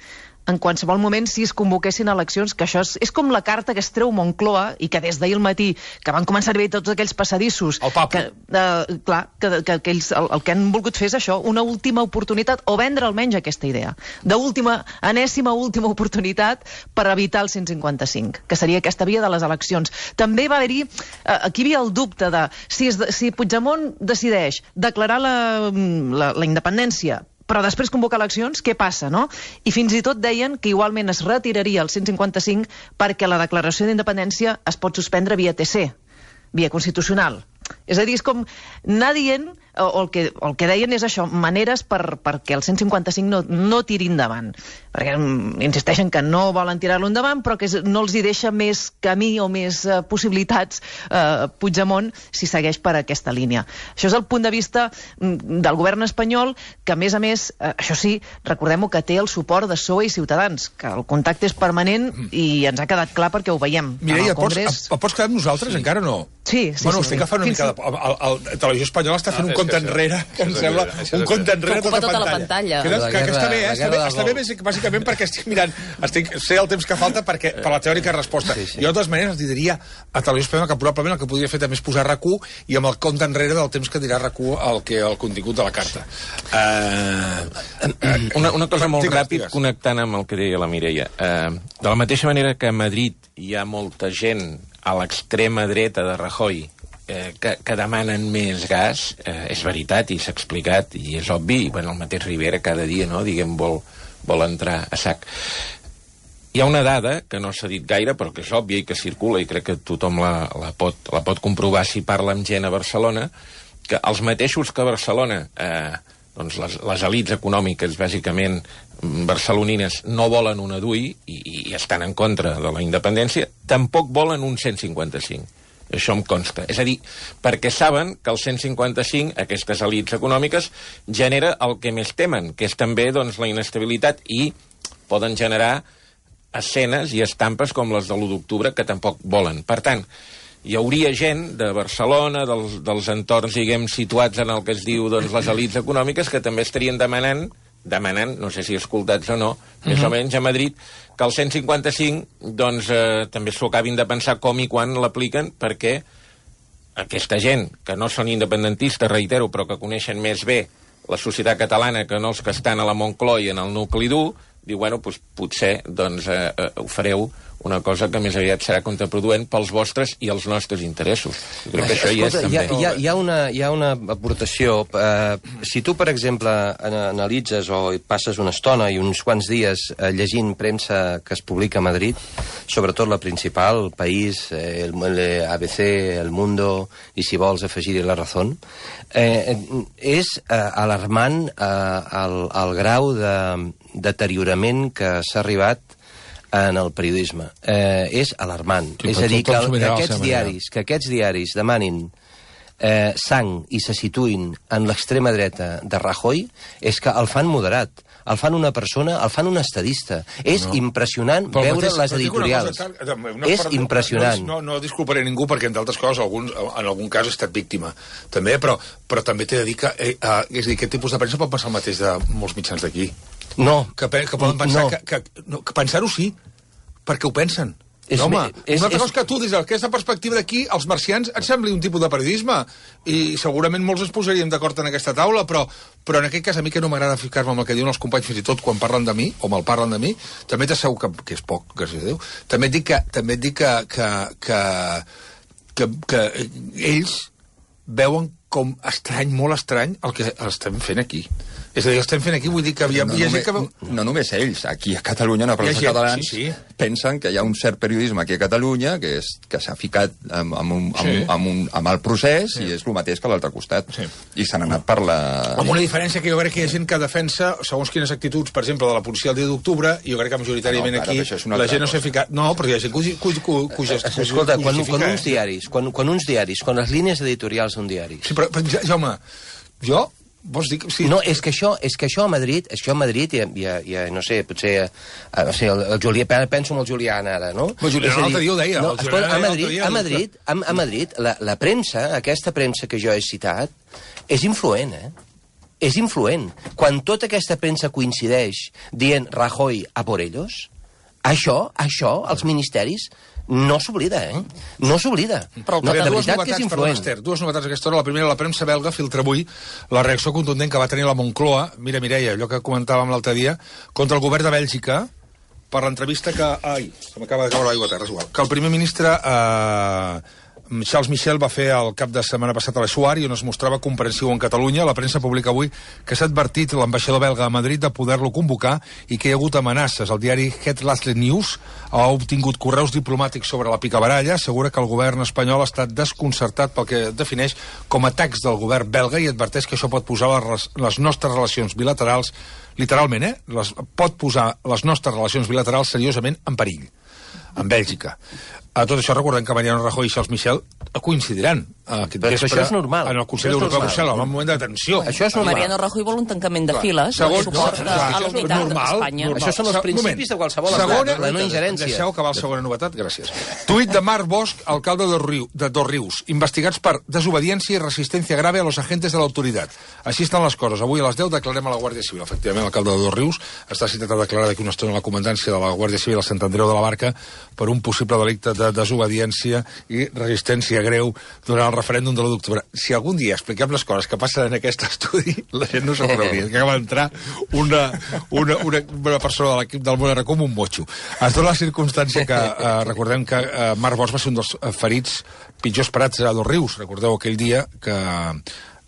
en qualsevol moment si es convoquessin eleccions, que això és com la carta que es treu Moncloa i que des d'ahir al matí, que van començar a veure tots aquells passadissos... El papo. Clar, que ells el que han volgut fer és això, una última oportunitat, o vendre almenys aquesta idea, enèsima última oportunitat per evitar el 155, que seria aquesta via de les eleccions. També va haver-hi... Aquí hi havia el dubte de si Puigdemont decideix declarar la independència però després convocar eleccions, què passa, no? I fins i tot deien que igualment es retiraria el 155 perquè la declaració d'independència es pot suspendre via TC, via constitucional. És a dir, és com anar dient, o el que deien és això, maneres perquè el 155 no tiri endavant. Perquè insisteixen que no volen tirar-lo endavant, però que no els hi deixa més camí o més possibilitats Puigdemont si segueix per aquesta línia. Això és el punt de vista del govern espanyol, que a més, això sí, recordem-ho, que té el suport de PSOE i Ciutadans, que el contacte és permanent i ens ha quedat clar perquè ho veiem. Mireia, pots quedar amb nosaltres? Sí. Encara no? Sí. Bueno, estic agafant una mica de... La televisió espanyola està fent un compte enrere, que em sembla un compte enrere tota la pantalla. Que està bé, està bé bàsicament perquè estic mirant, sé el temps que falta per la teòrica resposta. Jo, de totes maneres, els diria a televisió espanyola que probablement el que podria fer també és posar RAC1 i amb el compte enrere del temps que dirà RAC1 el contingut de la carta. Una cosa molt ràpid, connectant amb el que deia la Mireia. De la mateixa manera que a Madrid hi ha molta gent a l'extrema dreta de Rajoy que demanen més gas, és veritat i s'ha explicat i és obvi, i el mateix Rivera cada dia vol entrar a sac. Hi ha una dada que no s'ha dit gaire però que és òbvia i que circula i crec que tothom la pot comprovar si parla amb gent a Barcelona, que els mateixos que a Barcelona les elits econòmiques bàsicament barcelonines no volen una DUI i estan en contra de la independència, tampoc volen un 155. Això em consta. És a dir, perquè saben que el 155, aquestes elits econòmiques, genera el que més temen, que és també la inestabilitat, i poden generar escenes i estampes com les de l'1 d'octubre que tampoc volen. Per tant, hi hauria gent de Barcelona, dels entorns, situats en el que es diu les elits econòmiques, que també estarien demanant, no sé si escoltats o no, més o menys a Madrid, que el 155 també s'ho acabin de pensar com i quan l'apliquen, perquè aquesta gent, que no són independentistes, reitero, però que coneixen més bé la societat catalana que no els que estan a la Moncloa i en el nucli dur, diu, potser ho fareu una cosa que més aviat serà contraproduent pels vostres i els nostres interessos. Jo crec que això hi és també. Hi ha una aportació. Si tu, per exemple, analitzes o passes una estona i uns quants dies llegint premsa que es publica a Madrid, sobretot la principal, El País, el ABC, El Mundo, i si vols afegir-hi La Razón, és alarmant el grau de deteriorament que s'ha arribat en el periodisme. És alarmant. És a dir, que aquests diaris demanin sang i se situïn en l'extrema dreta de Rajoy, és que el fan moderat. El fan una persona, el fan un estadista. És impressionant veure les editorials. És impressionant. No disculparé ningú perquè, entre altres coses, en algun cas he estat víctima. També, però també t'he de dir que és a dir, aquest tipus de premsa pot passar el mateix de molts mitjans d'aquí. No. Que poden pensar que pensar-ho sí, perquè ho pensen. Una altra cosa que tu, des d'aquesta perspectiva d'aquí, els marcians et sembli un tipus de periodisme, i segurament molts ens posaríem d'acord en aquesta taula, però en aquest cas a mi que no m'agrada ficar-me amb el que diuen els companys, fins i tot quan parlen de mi, o mal parlen de mi, també t'asseguro que és poc, gràcies a Déu, també et dic que ells veuen com estrany, molt estrany, el que estem fent aquí. És a dir, estem fent aquí, vull dir que hi ha gent que... No només ells, aquí a Catalunya, en els catalans, pensen que hi ha un cert periodisme aquí a Catalunya que s'ha ficat amb el procés i és el mateix que l'altre costat. I s'han anat per la... Amb una diferència que jo crec que hi ha gent que defensa, segons quines actituds, per exemple, de la policia el dia d'octubre, i jo crec que majoritàriament aquí la gent no s'ha ficat... No, però hi ha gent que escolta, quan uns diaris, quan les línies editorials d'un diari... Sí, però Jaume, jo... Vols dir que... Sí. No, és que això a Madrid, ja no sé, potser... el Julià, penso en el Julián ara, no? El Julián l'altre dia ho deia. No, a Madrid, la premsa, aquesta premsa que jo he citat, és influent, És influent. Quan tota aquesta premsa coincideix dient Rajoy a por ellos, això, els ministeris... No s'oblida, No s'oblida. Però de veritat que és influent. Dues novetats a aquesta hora. La primera, la premsa belga filtra avui la reacció contundent que va tenir la Moncloa, mira, Mireia, allò que comentàvem l'altre dia, contra el govern de Bèlgica, per l'entrevista que... Ai, se m'acaba de caure l'aigua a terra, és igual. Que el primer ministre... Charles Michel va fer el cap de setmana passat a l'Eixuar i on es mostrava comprensiu en Catalunya. La premsa publica avui que s'ha advertit l'ambaixador belga a Madrid de poder-lo convocar i que hi ha hagut amenaces. El diari Het Laatste Nieuws ha obtingut correus diplomàtics sobre la picabaralla, assegura que el govern espanyol ha estat desconcertat pel que defineix com atacs del govern belga i adverteix que això pot posar les nostres relacions bilaterals, literalment, pot posar les nostres relacions bilaterals seriosament en perill, en Bèlgica. A tot això recordem que Mariano Rajoy i Charles Michel coincidiran aquest vespre això és normal. En el Consell Europeu de Brussel·les, en un moment de tensió. Això és normal. Mariano Rajoy vol un tancament de files, suport a l'unitat d'Espanya. Això són els principis de qualsevol estat, la no ingerència. Deixeu acabar la segona novetat, gràcies. Tuit de Marc Bosch, alcalde de Dosrius, investigats per desobediència i resistència grave a los agentes de l'autoritat. Així estan les coses. Avui a les 10 declarem a la Guàrdia Civil. Efectivament, l'alcalde de Dosrius està citat a declarar d'aquí una estona a la comandància de la Guàrdia Civil a Sant Andreu de la Barca per un possible delicte de desobediència i resistència greu durant el referèndum de l'1 d'octubre. Si algun dia expliquem les coses que passen en aquest estudi, la gent no s'ho creuria. Que acaba d'entrar una persona de l'equip del Món com un motxo. Es dona la circumstància que recordem que Marc Bosch va ser un dels ferits pitjors parats a Dosrius. Recordeu aquell dia que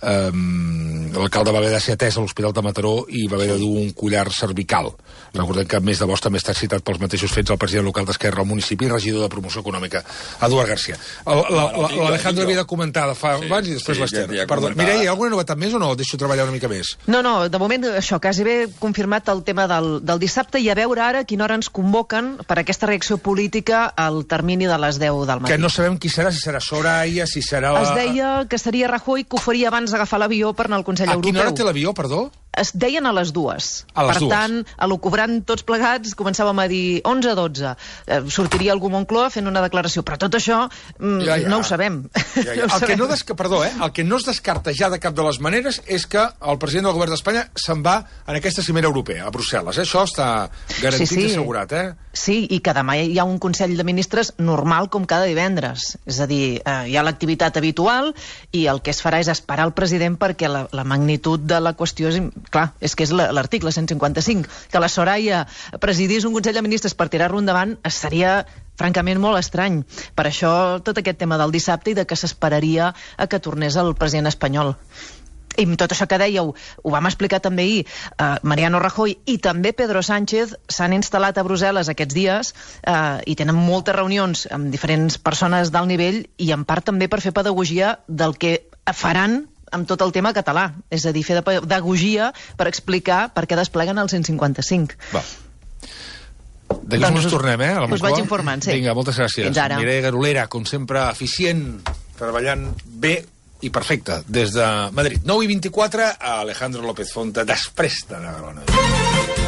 l'alcalde va haver de ser atès a l'Hospital de Mataró i va haver de dur un collar cervical. Recordem que a més de Bosch també està citat pels mateixos fets el president local d'Esquerra al municipi i regidor de promoció econòmica, Eduard García. L'Alejandro havia de comentar de fa abans i després l'Ester. Perdó. Mireia, hi ha alguna novetat més o no? Deixo treballar una mica més. No, de moment això, quasi bé confirmat el tema del dissabte i a veure ara a quina hora ens convoquen per aquesta reacció política al termini de les 10 del matí. Que no sabem qui serà, si serà Soraya, si serà... Es deia que seria Rajoy, que ho faria abans d'agafar l'avió per anar al Consell Europeu. A quina hora té l'avió, perdó? Es deien a les 2. A les 2. Per tant, a lo cobrant tots plegats, començàvem a dir 11-12. Sortiria algú Moncloa fent una declaració. Però tot això no ho sabem. El que no es descarta ja de cap de les maneres és que el president del govern d'Espanya se'n va en aquesta cimera europea, a Brussel·les. Això està garantit i assegurat, Sí, i que demà hi ha un Consell de Ministres normal com cada divendres. És a dir, hi ha l'activitat habitual i el que es farà és esperar el president perquè la magnitud de la qüestió és... Clar, és que és l'article 155. Que la Soraya presidís un Consell de Ministres per tirar-lo endavant seria francament molt estrany. Per això tot aquest tema del dissabte i de que s'esperaria a que tornés el president espanyol. I tot això que dèieu, ho vam explicar també ahir, Mariano Rajoy i també Pedro Sánchez s'han instal·lat a Brussel·les aquests dies i tenen moltes reunions amb diferents persones d'alt nivell i en part també per fer pedagogia del que faran amb tot el tema català. És a dir, fer de pedagogia per explicar per què despleguen el 155. Va. D'aquí uns minuts tornem, a la Moncloa. Us vaig informant, sí. Vinga, moltes gràcies. Fins ara. Mireia Garolera, com sempre, eficient, treballant bé i perfecte, des de Madrid. 9:24, Alejandro López Fonta, després de Navarona.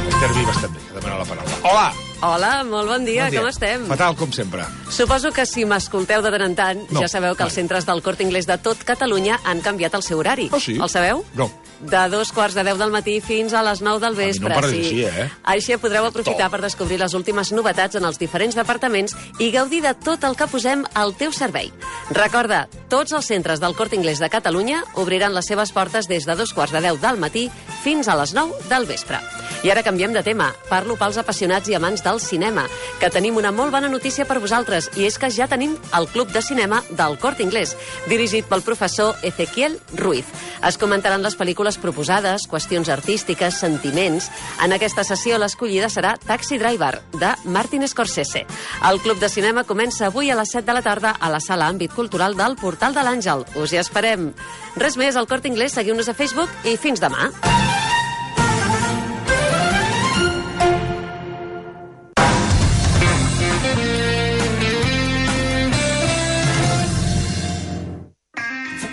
Esther Vives també, que demana la paraula. Hola! Hola, molt bon dia, com estem? Fatal, com sempre. Suposo que si m'escolteu de tant en tant, ja sabeu que els centres del Corte Inglés de tot Catalunya han canviat el seu horari. Oh, sí? El sabeu? No. De 2:15 del matí fins a les 9 del vespre. A mi no em pareix així, Així podreu aprofitar per descobrir les últimes novetats en els diferents departaments i gaudir de tot el que posem al teu servei. Recorda, tots els centres del Corte Inglés de Catalunya obriran les seves portes des de 2:15 del matí fins a les 9 del vespre. I ara canviem de tema. Parlo pels apassionats i amants del cinema, que tenim una molt bona notícia per vosaltres, i és que ja tenim el Club de Cinema del Corte Inglés, dirigit pel professor Ezequiel Ruiz. Es comentaran les pel·lícules pel·lícules proposades, qüestions artístiques, sentiments. En aquesta sessió l'escollida serà Taxi Driver, de Martin Scorsese. El Club de Cinema comença avui a les 7 de la tarda a la sala Àmbit Cultural del Portal de l'Àngel. Us hi esperem. Res més, al Corte Inglés, seguiu-nos a Facebook i fins demà.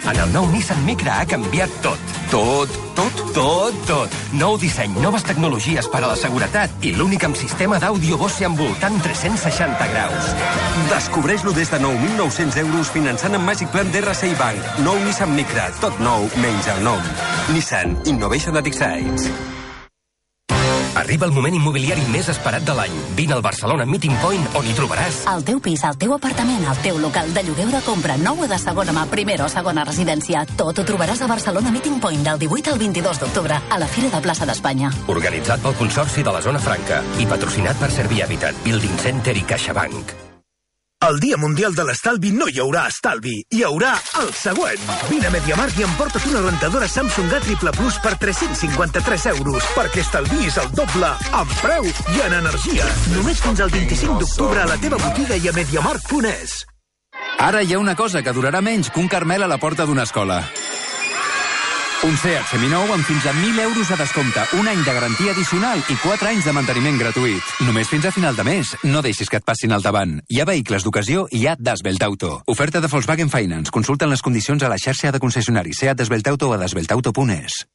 En el nou Nissan Micra ha canviat tot. Tot. Nou disseny, noves tecnologies per a la seguretat i l'únic amb sistema d'àudio Bose envoltant 360 graus. Descobreix-lo des de 9.900 euros finançant amb Magic Plan d'RCI Bank. Nou Nissan Micra, tot nou, menys el nom. Nissan Innovation that excites. Arriba el moment immobiliari més esperat de l'any. Vine al Barcelona Meeting Point, on hi trobaràs el teu pis, el teu apartament, el teu local de lloguer de compra, nou o de segona mà, primera o segona residència. Tot ho trobaràs a Barcelona Meeting Point del 18 al 22 d'octubre a la Fira de Plaça d'Espanya. Organitzat pel Consorci de la Zona Franca i patrocinat per Servir Habitat, Building Center i CaixaBank. El Dia Mundial de l'Estalvi no hi haurà estalvi, hi haurà el següent. Vine a MediaMarkt i emporta't una rentadora Samsung A Triple Plus per 353 euros, perquè estalviïs el doble en preu i en energia. Només fins al 25 d'octubre a la teva botiga i a MediaMarkt.es. Ara hi ha una cosa que durarà menys que un Carmel a la porta d'una escola. Un Seat seminou amb fins a 1.000 euros a descompte, un any de garantia addicional i 4 anys de manteniment gratuït. Només fins a final de mes. No deixis que et passin al davant. Hi ha vehicles d'ocasió i hi ha Dasvelt Auto. Oferta de Volkswagen Finance. Consulten les condicions a la xarxa de concessionaris Seat Dasvelt Auto a dasveltauto.es.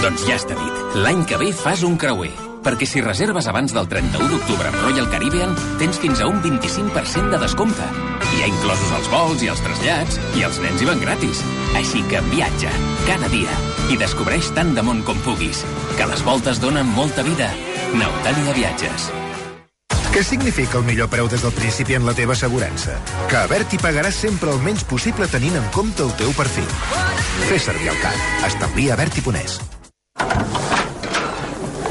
Doncs ja està dit. L'any que ve fas un creuer. Perquè si reserves abans del 31 d'octubre amb Royal Caribbean, tens fins a un 25% de descompte. Hi ha inclosos els vols i els trasllats, i els nens hi van gratis. Així que viatja, cada dia, i descobreix tant de món com puguis. Que les voltes donen molta vida. Nautàlia Viatges. Què significa el millor preu des del principi en la teva assegurança? Que a Berti pagaràs sempre el menys possible tenint en compte el teu perfil. Fes servir el CAT. Establir a Berti.es.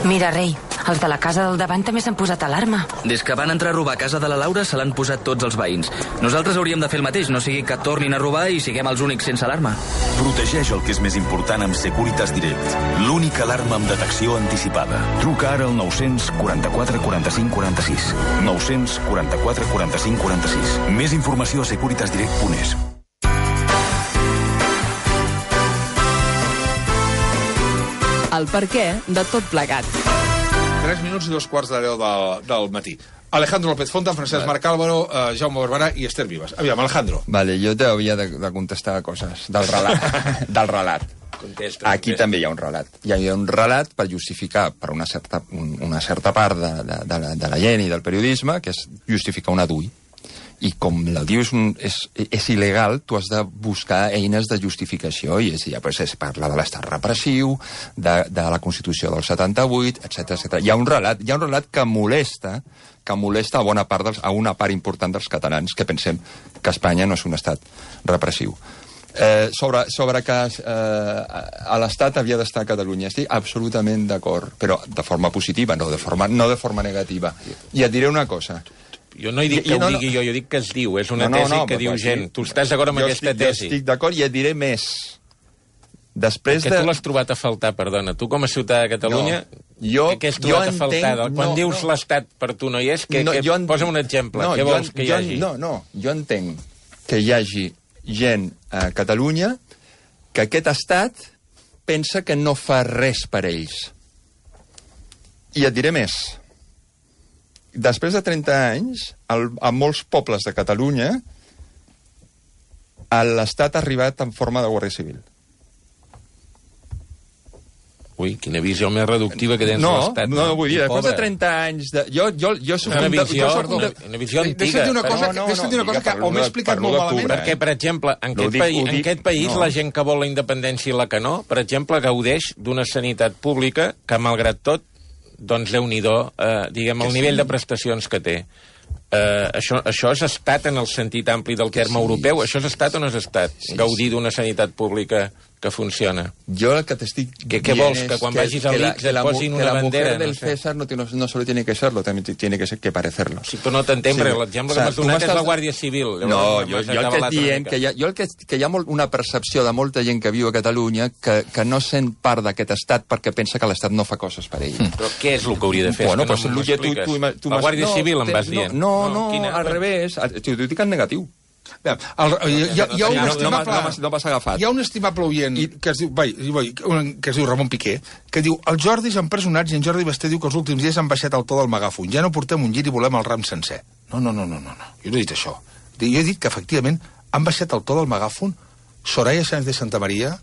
Mira, rei, els de la casa del davant també s'han posat alarma. Des que van entrar a robar a casa de la Laura se l'han posat tots els veïns. Nosaltres hauríem de fer el mateix, no sigui que tornin a robar i siguem els únics sense alarma. Protegeix el que és més important amb Securitas Direct, l'única alarma amb detecció anticipada. Truca ara al 944 45 46. 944 45 46. Més informació a securitasdirect.es. El perquè de tot plegat. 3 minuts i 2:15 del matí. Alejandro López Fontan, Francesc Marc Álvaro, Jaume Barberà i Esther Vives. Aviam, Alejandro. Vale, jo t'havia de contestar coses del relat. Del relat. Aquí també hi ha un relat. Hi ha un relat per justificar per una certa part de la gent i del periodisme, que és justificar un adui. I com la dius és il·legal, tu has de buscar eines de justificació, i es parla de l'estat repressiu, de la Constitució del 78, etc. Hi ha un relat que molesta a una part important dels catalans que pensem que Espanya no és un estat repressiu. Sobre que a l'Estat havia d'estar a Catalunya, estic absolutament d'acord, però de forma positiva, no de forma negativa. I et diré una cosa. Jo no dic que ho digui jo dic que es diu. És una tesi que diu gent. Tu estàs d'acord amb aquesta tesi? Jo estic d'acord i et diré més. Perquè tu l'has trobat a faltar, perdona. Tu com a ciutadà de Catalunya, què has trobat a faltar? Quan dius l'Estat per tu no hi és, posa'm un exemple. Què vols que hi hagi? Jo entenc que hi hagi gent a Catalunya que aquest estat pensa que no fa res per ells. I et diré més. Després de 30 anys, a molts pobles de Catalunya, l'Estat ha arribat en forma de Guàrdia Civil. Ui, quina visió més reductiva que tens de l'Estat. No, vull dir, després de 30 anys... Una visió antiga. Deixa't dir una cosa que o m'he explicat molt malament. Perquè, per exemple, en aquest país la gent que vol la independència i la que no, per exemple, gaudeix d'una sanitat pública que, malgrat tot, doncs Déu-n'hi-do, diguem, el nivell de prestacions que té. Això és estat en el sentit ampli del terme europeu? Això és estat o no és estat? Gaudir d'una sanitat pública que funciona. Jo el que t'estic dient què vols, que quan vagis a l'X et posin una bandera? Que la mujer del César no solo tiene que serlo, también tiene que parecerlo. Sí, però no t'entenc, perquè l'exemple que m'has donat és la Guàrdia Civil. No, jo el que et diem que hi ha una percepció de molta gent que viu a Catalunya que no sent part d'aquest estat perquè pensa que l'estat no fa coses per ell. Però què és el que hauria de fer? Bueno, pues m'ho expliques. La Guàrdia Civil em vas dient. No, al revés. T'ho dic en negatiu. Hi ha un estimable oient que es diu Ramon Piqué, que diu: els Jordis empresonats, i en Jordi Basté diu que els últims dies han baixat el to del megàfon, ja no portem un gir i volem el ram sencer. No, jo no he dit això. Jo he dit que efectivament han baixat el to del megàfon Soraya Sáenz de Santamaría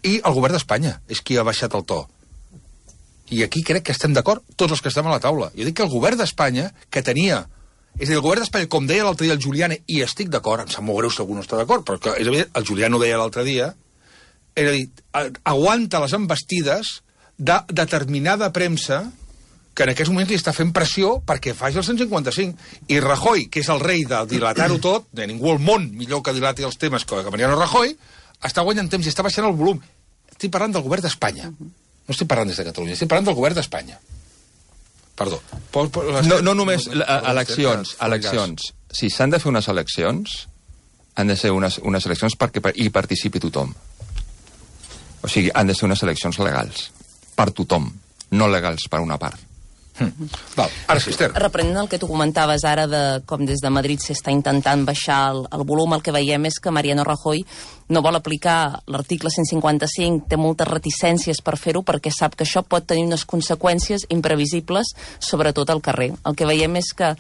i el govern d'Espanya és qui ha baixat el to. I aquí crec que estem d'acord tots els que estem a la taula. Jo dic que el govern d'Espanya, que tenia... És a dir, el govern d'Espanya, com deia l'altre dia el Giuliani, i estic d'acord, em sap molt greu si algú no està d'acord, però és evident, el Giuliani ho deia l'altre dia, és a dir, aguanta les envestides de determinada premsa que en aquests moments li està fent pressió perquè faci el 155. I Rajoy, que és el rei de dilatar-ho tot, de ningú al món millor que dilati els temes que Mariano Rajoy, està guanyant temps i està baixant el volum. Estic parlant del govern d'Espanya. No estic parlant des de Catalunya, estic parlant del govern d'Espanya. Perdó. No només eleccions. Si s'han de fer unes eleccions, han de ser unes eleccions perquè hi participi tothom. O sigui, han de ser unes eleccions legals. Per tothom. No legals per una part. Val. Ara sí, Esther. Reprenent el que tu comentaves ara de com des de Madrid s'està intentant baixar el volum, el que veiem és que Mariano Rajoy no vol aplicar l'article 155, té moltes reticències per fer-ho perquè sap que això pot tenir unes conseqüències imprevisibles, sobretot al carrer. El que veiem és que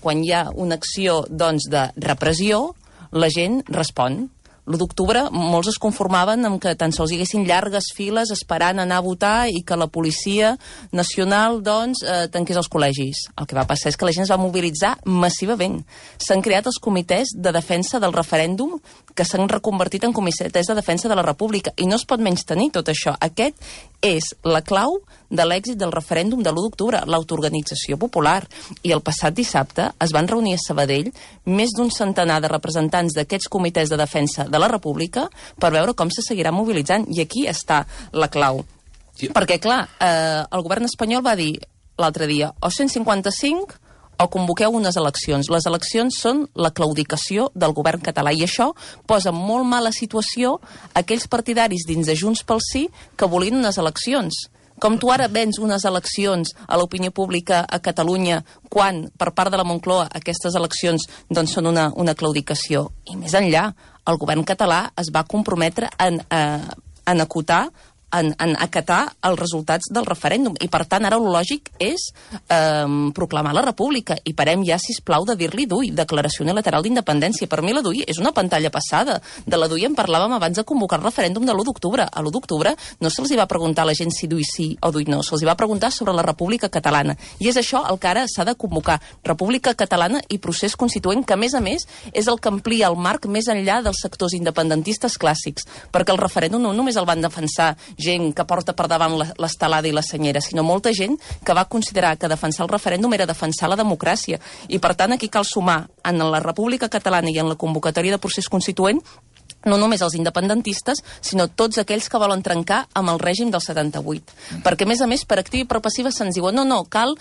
quan hi ha una acció doncs, de repressió, la gent respon. L'1 d'octubre molts es conformaven amb que tan sols hi haguessin llargues files esperant anar a votar i que la Policia Nacional, doncs, tanqués els col·legis. El que va passar és que la gent es va mobilitzar massivament. S'han creat els comitès de defensa del referèndum que s'han reconvertit en comitès de defensa de la República i no es pot menystenir tot això. Aquest és la clau de l'èxit del referèndum de l'1 d'octubre, l'autoorganització popular. I el passat dissabte es van reunir a Sabadell més d'un centenar de representants d'aquests comitès de defensa de la República per veure com se seguirà mobilitzant. I aquí està la clau. Sí. Perquè, clar, el govern espanyol va dir l'altre dia o 155 o convoqueu unes eleccions. Les eleccions són la claudicació del govern català i això posa molt mala situació aquells partidaris dins de Junts pel Sí que volien unes eleccions. Com tu ara vens unes eleccions a l'opinió pública a Catalunya quan, per part de la Moncloa, aquestes eleccions doncs, són una claudicació. I més enllà, el govern català es va comprometre en acotar, en acatar els resultats del referèndum. I, per tant, ara el lògic és proclamar la república. I parem ja, sisplau, de dir-li DUI, Declaració Unilateral d'Independència. Per mi la DUI és una pantalla passada. De la DUI en parlàvem abans de convocar el referèndum de l'1 d'octubre. A l'1 d'octubre no se'ls va preguntar a la gent si DUI sí o DUI no. Se'ls va preguntar sobre la República Catalana. I és això el que ara s'ha de convocar. República Catalana i procés constituent, que, a més, és el que amplia el marc més enllà dels sectors independentistes clàssics. Perquè el referèndum no només el van defensar gent que porta per davant l'estelada i la senyera, sinó molta gent que va considerar que defensar el referèndum era defensar la democràcia. I, per tant, aquí cal sumar en la República Catalana i en la convocatòria de procés constituent no només els independentistes, sinó tots aquells que volen trencar amb el règim del 78. Perquè, a més, per activa i per passiva se'ns diuen no, cal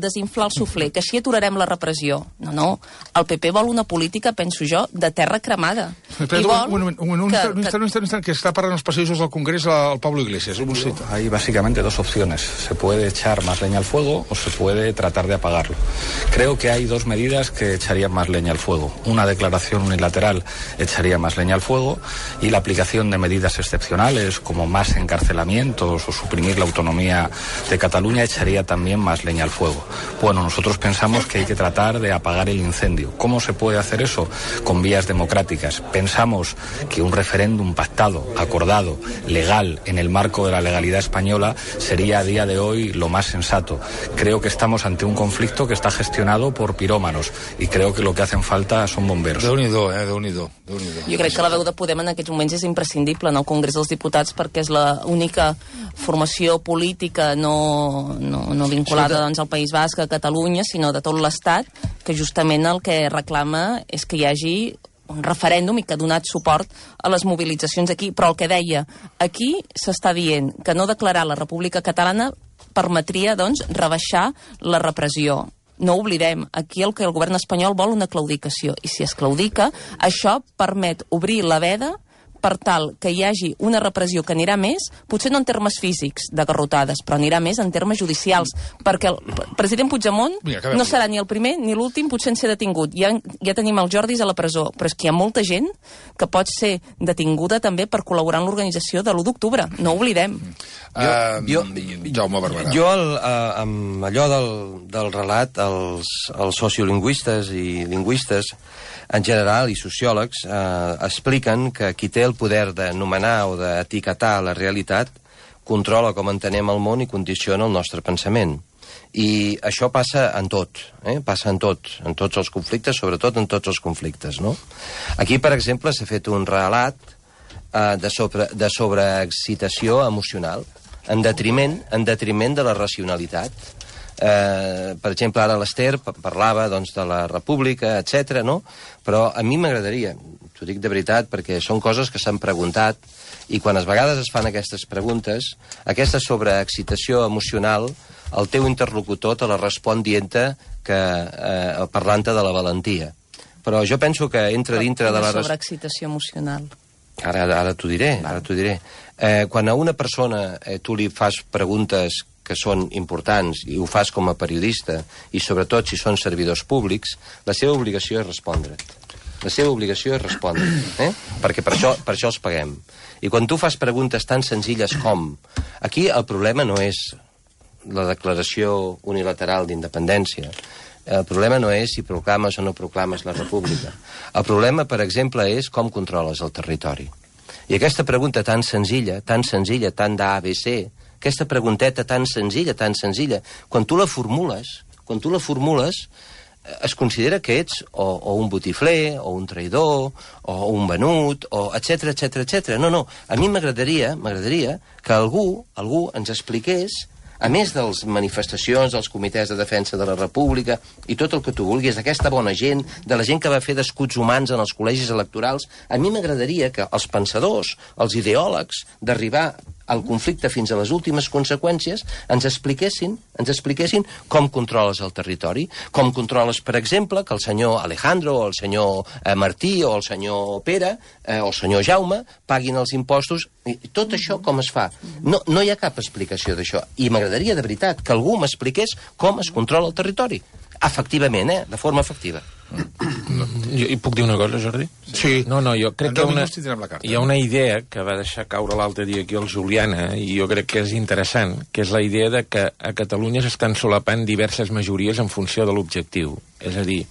desinflar el suflé, que així aturarem la repressió. No, el PP vol una política, penso jo, de terra cremada. Un instant, que está para los pasillos del Congreso al Pablo Iglesias. Hay básicamente dos opciones. Se puede echar más leña al fuego o se puede tratar de apagarlo. Creo que hay dos medidas que echarían más leña al fuego. Una declaración unilateral echaría más leña al fuego y la aplicación de medidas excepcionales como más encarcelamientos o suprimir la autonomía de Cataluña echaría también más leña al fuego. Bueno, nosotros pensamos que hay que tratar de apagar el incendio. ¿Cómo se puede hacer eso? Con vías democráticas. Pensamos que un referéndum pactado, acordado, legal, en el marco de la legalidad española sería a día de hoy lo más sensato. Creo que estamos ante un conflicto que está gestionado por pirómanos y creo que lo que hacen falta son bomberos. Déu-n'hi-do, Déu-n'hi-do. Jo crec que la veu de Podem en aquests moments és imprescindible en el Congrés dels Diputats perquè és l'única formació política no vinculada doncs, al País Basc, a Catalunya, sinó de tot l'Estat, que justament el que reclama és que hi hagi un referèndum i que ha donat suport a les mobilitzacions aquí. Però el que deia, aquí s'està dient que no declarar la República Catalana permetria, doncs, rebaixar la repressió. No oblidem, aquí el que el govern espanyol vol una claudicació, i si es claudica, això permet obrir la veda per tal que hi hagi una repressió que anirà més, potser no en termes físics de garrotades, però anirà més en termes judicials, perquè el president Puigdemont no serà ni el primer ni l'últim potser en ser detingut. Ja tenim els Jordis a la presó, però és que hi ha molta gent que pot ser detinguda també per col·laborar en l'organització de l'1 d'octubre. No ho oblidem. Jaume Barberà. Jo, amb allò del relat, els sociolingüistes i lingüistes en general, i sociòlegs, expliquen que qui té el poder de nomenar o d'etiquetar la realitat controla com entenem el món i condiciona el nostre pensament. I això passa en tot, passa en tots els conflictes, sobretot en tots els conflictes, no? Aquí, per exemple, s'ha fet un relat de sobreexcitació emocional, en detriment de la racionalitat. Per exemple, ara l'Ester parlava doncs, de la república, etc. no? Però a mi m'agradaria, t'ho dic de veritat, perquè són coses que s'han preguntat, i quan a vegades es fan aquestes preguntes, aquesta sobreexcitació emocional, el teu interlocutor te la respon dient-te parlant-te de la valentia. Però jo penso que entra dintre de la... sobreexcitació emocional. Ara t'ho diré, quan a una persona tu li fas preguntes que són importants, i ho fas com a periodista, i sobretot si són servidors públics, la seva obligació és respondre't. La seva obligació és respondre, perquè per això els paguem. I quan tu fas preguntes tan senzilles com... Aquí el problema no és la declaració unilateral d'independència. El problema no és si proclames o no proclames la república. El problema, per exemple, és com controles el territori. I aquesta pregunta tan senzilla, tan d'ABC, aquesta pregunteta tan senzilla, quan tu la formules, es considera que ets o un botifler, o un traïdor, o un venut, o etc. No, a mi m'agradaria que algú ens expliqués, a més de les manifestacions dels comitès de defensa de la república i tot el que tu vulguis, d'aquesta bona gent, de la gent que va fer d'escuts humans en els col·legis electorals, a mi m'agradaria que els pensadors, els ideòlegs, d'arribar al conflicte fins a les últimes conseqüències, ens expliquessin com controles el territori, com controles, per exemple, que el senyor Alejandro, o el senyor Martí, o el senyor Pere, o el senyor Jaume, paguin els impostos. I tot això com es fa? No hi ha cap explicació d'això. I m'agradaria, de veritat, que algú m'expliqués com es controla el territori. Efectivament, de forma efectiva. I puc dir una cosa, Jordi? Sí. No, jo crec que hi ha una idea que va deixar caure l'altre dia aquí el Juliana, i jo crec que és interessant, que és la idea de que a Catalunya s'estan solapant diverses majories en funció de l'objectiu. És a dir,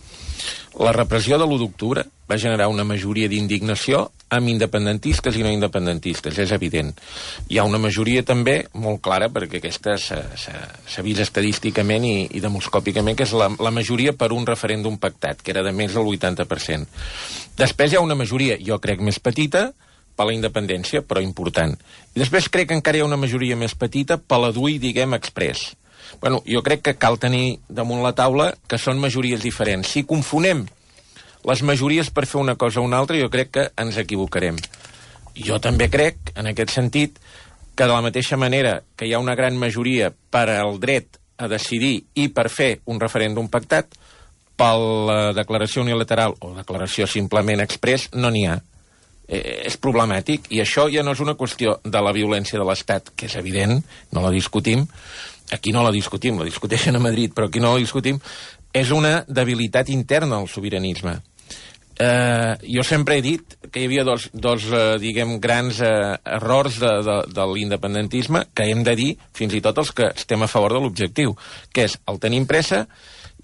la repressió de l'1 d'octubre va generar una majoria d'indignació amb independentistes i no independentistes, és evident. Hi ha una majoria també molt clara, perquè aquesta s'ha vist estadísticament i demoscòpicament, que és la majoria per un referèndum pactat, que era de més del 80%. Després hi ha una majoria, jo crec, més petita, per la independència, però important. I després crec que encara hi ha una majoria més petita per la DUI, diguem, express. Bueno, jo crec que cal tenir damunt la taula que són majories diferents. Si confonem les majories per fer una cosa o una altra, jo crec que ens equivocarem. Jo també crec, en aquest sentit, que de la mateixa manera que hi ha una gran majoria per al dret a decidir i per fer un referèndum pactat, per la declaració unilateral o declaració simplement express, no n'hi ha. És problemàtic, i això ja no és una qüestió de la violència de l'Estat, que és evident, no la discutim, aquí no la discutim, la discuteixen a Madrid, però aquí no la discutim, és una debilitat interna al sobiranisme. Jo sempre he dit que hi havia dos diguem, grans errors de l'independentisme que hem de dir, fins i tot els que estem a favor de l'objectiu, que és el tenim pressa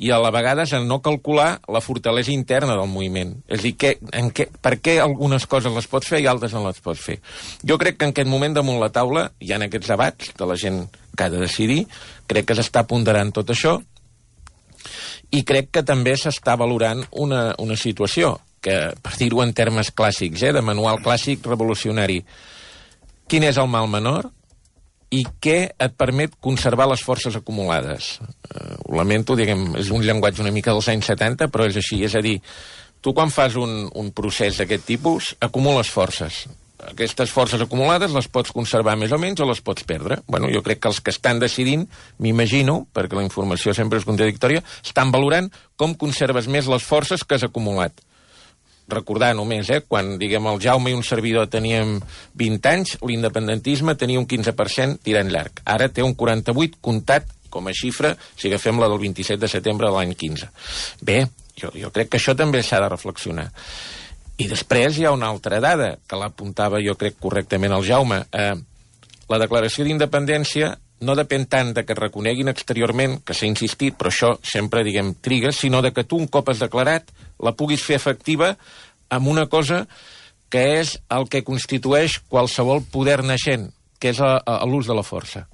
i a la vegada és el no calcular la fortalesa interna del moviment. És a dir, per què algunes coses les pots fer i altres no les pots fer? Jo crec que en aquest moment damunt la taula hi ha aquests debats de la gent que ha de decidir, crec que s'està ponderant tot això, i crec que també s'està valorant una situació que, per dir-ho en termes clàssics, de manual clàssic revolucionari, quin és el mal menor i què et permet conservar les forces acumulades. Ho lamento, diguem, és un llenguatge una mica dels anys 70, però és així, és a dir, tu quan fas un procés d'aquest tipus acumules forces. Aquestes forces acumulades les pots conservar més o menys o les pots perdre. Bueno, jo crec que els que estan decidint, m'imagino, perquè la informació sempre és contradictòria, estan valorant com conserves més les forces que has acumulat. Recordar només, quan, diguem, el Jaume i un servidor teníem 20 anys, l'independentisme tenia un 15% tirant llarg. Ara té un 48% comptat com a xifra, si agafem la del 27 de setembre de l'any 15. Bé, jo crec que això també s'ha de reflexionar. I després hi ha una altra dada, que l'apuntava jo crec correctament el Jaume. La declaració d'independència no depèn tant de que es reconeguin exteriorment, que s'ha insistit, però això sempre, diguem, triga, sinó de que tu un cop has declarat la puguis fer efectiva amb una cosa que és el que constitueix qualsevol poder naixent, que és l'ús de la força.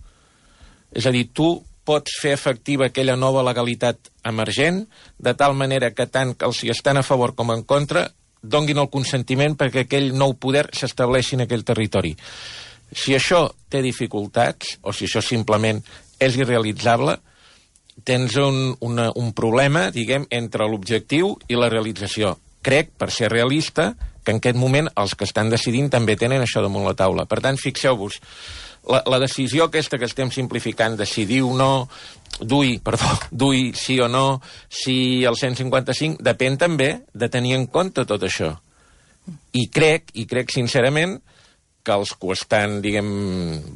És a dir, tu pots fer efectiva aquella nova legalitat emergent, de tal manera que tant que els hi estan a favor com en contra donguin el consentiment perquè aquell nou poder s'estableixi en aquell territori. Si això té dificultats, o si això simplement és irrealitzable, tens un problema, diguem, entre l'objectiu i la realització. Crec, per ser realista, que en aquest moment els que estan decidint també tenen això damunt la taula. Per tant, fixeu-vos, la decisió aquesta que estem simplificant, decidir o no, duir sí o no, si el 155, depèn també de tenir en compte tot això. I crec sincerament que els que ho estan, diguem,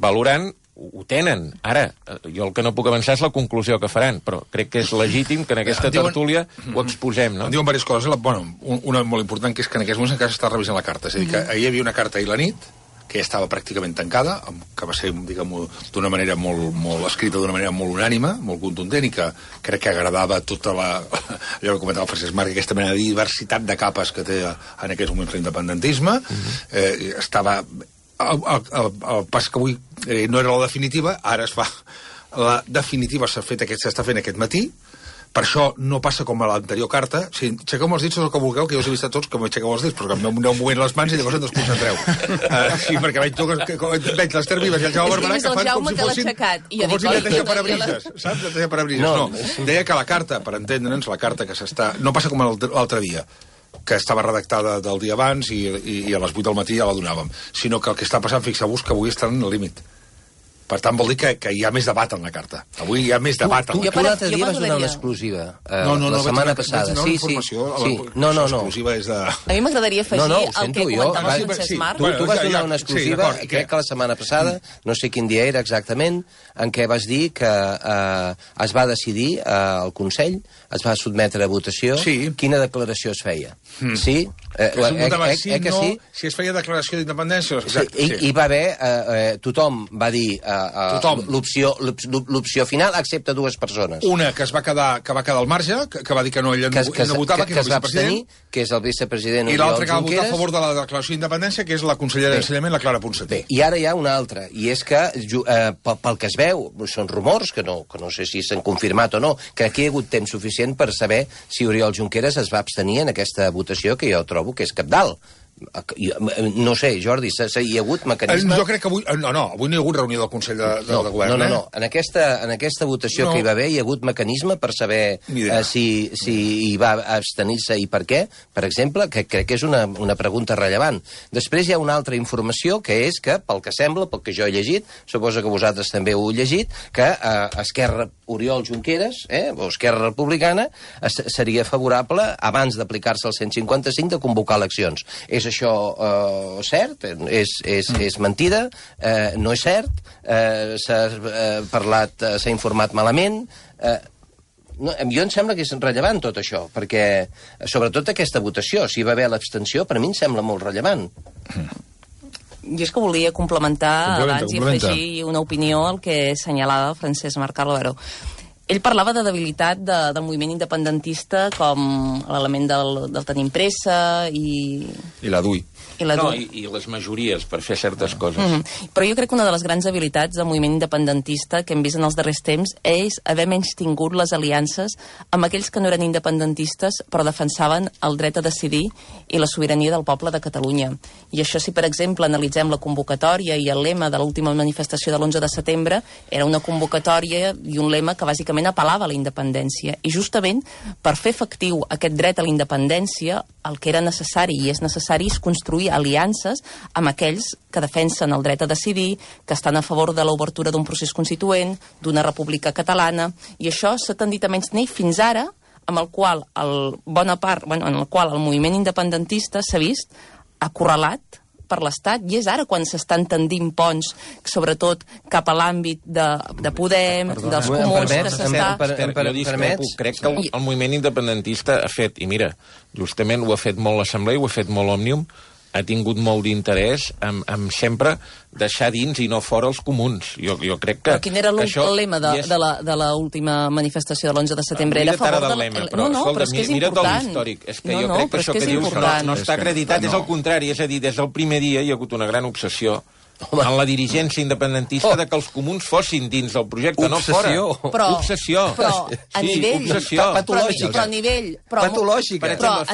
valorant ho tenen. Ara, jo el que no puc avançar és la conclusió que faran, però crec que és legítim que en aquesta tertúlia ho exposem, no? Em diuen diverses coses. Una molt important, que és que en aquests moments encara s'està revisant la carta. És a dir, que ahir hi havia una carta ahir la nit, que ja estava pràcticament tancada, que va ser, diguem, d'una manera molt escrita, d'una manera molt unànima, molt contundent, i que crec que agradava tota allò que comentava el Francesc Marc, aquesta mena de diversitat de capes que té en aquests moments l'independentisme. Estava... El pas que avui no era la definitiva, ara es fa... La definitiva s'està fent aquest matí. Per això no passa com a l'anterior carta. Si aixequeu els dits tot el que vulgueu, que jo us he vist a tots que m'aixequeu els dits, però que m'aneu movent les mans i llavors em desconcentreu. Sí, perquè veig l'Ester Vives i el Jaume Barberà que fan com si fossin neteja parabrises, saps? Neteja parabrises. No, deia que la carta, per entendre'ns, la carta que s'està... No passa com l'altre dia, que estava redactada del dia abans i a les 8 del matí ja la donàvem, sinó que el que està passant, fixeu-vos, que avui estan al límit. Per tant, vol dir que hi ha més debat en la carta. Avui hi ha més debat en la carta. Tu l'altre dia vas donar una exclusiva, la setmana passada. Sí. L'exclusiva és de... A mi m'agradaria afegir el que comentava el Francesc Marc. Tu vas donar una exclusiva, crec que la setmana passada, no sé quin dia era exactament, en què vas dir que es va decidir al Consell, es va sotmetre a votació quina declaració es feia. Sí? Si es feia declaració d'independència... Hi va haver... Tothom va dir l'opció final, excepte dues persones. Una que va quedar al marge, que va dir que no, ella no votava, que és el vicepresident, que és el vicepresident i l'altra que va votar a favor de la declaració d'independència, que és la consellera d'Ensenyament, la Clara Ponsatí. I ara hi ha una altra, i és que pel que es veu, són rumors, que no sé si s'han confirmat o no, que aquí hi ha hagut temps suficient per saber si Oriol Junqueras es va abstenir en aquesta votació, que jo trobo que és cabdal. No sé, Jordi, hi ha hagut mecanisme... Jo crec que avui... No, avui no hi ha hagut reunió del Consell de Govern. No. En aquesta votació que hi va haver hi ha hagut mecanisme per saber si hi va abstenir-se i per què, per exemple, que crec que és una pregunta rellevant. Després hi ha una altra informació, que és que, pel que sembla, pel que jo he llegit, suposo que vosaltres també ho heu llegit, que Esquerra, Oriol Junqueras, o Esquerra Republicana, seria favorable, abans d'aplicar-se el 155, de convocar eleccions. És això cert? És mentida? No és cert? S'ha informat malament? Jo em sembla que és rellevant tot això, perquè, sobretot aquesta votació, si hi va haver l'abstenció, per mi em sembla molt rellevant. Jo és que volia complementar abans i afegir una opinió al que assenyalava Francesc Marc Álvaro. Ell parlava de debilitat del moviment independentista com l'element del tenim pressa i la DUI. I les majories per fer certes coses. Però jo crec que una de les grans habilitats del moviment independentista que hem vist en els darrers temps és haver menystingut les aliances amb aquells que no eren independentistes però defensaven el dret a decidir i la sobirania del poble de Catalunya. I això, si per exemple analitzem la convocatòria i el lema de l'última manifestació de l'11 de setembre, era una convocatòria i un lema que bàsicament bàsicament apel·lava a la independència. I justament per fer efectiu aquest dret a la independència, el que era necessari i és necessari és construir aliances amb aquells que defensen el dret a decidir, que estan a favor de l'obertura d'un procés constituent, d'una república catalana, i això s'ha tendit a menystenir fins ara, amb el qual en el qual el moviment independentista s'ha vist acorralat per l'Estat, i és ara quan s'estan tendint ponts, sobretot cap a l'àmbit de Podem, dels comuns, que s'està... Crec que el moviment independentista ha fet, i mira, justament ho ha fet molt l'Assemblea, ho ha fet molt Òmnium, ha tingut molt d'interès en sempre deixar dins i no fora els comuns. Jo crec que... Però quin era el lema de l'última manifestació de l'11 de setembre? Era a favor del lema. Però és que és important. Històric. És que jo crec que això que dius no està acreditat, és el contrari. És a dir, des del primer dia hi ha hagut una gran obsessió en la dirigència independentista de que els comuns fossin dins del projecte, no fora. Obsessió. Però a nivell... Patològica. Però a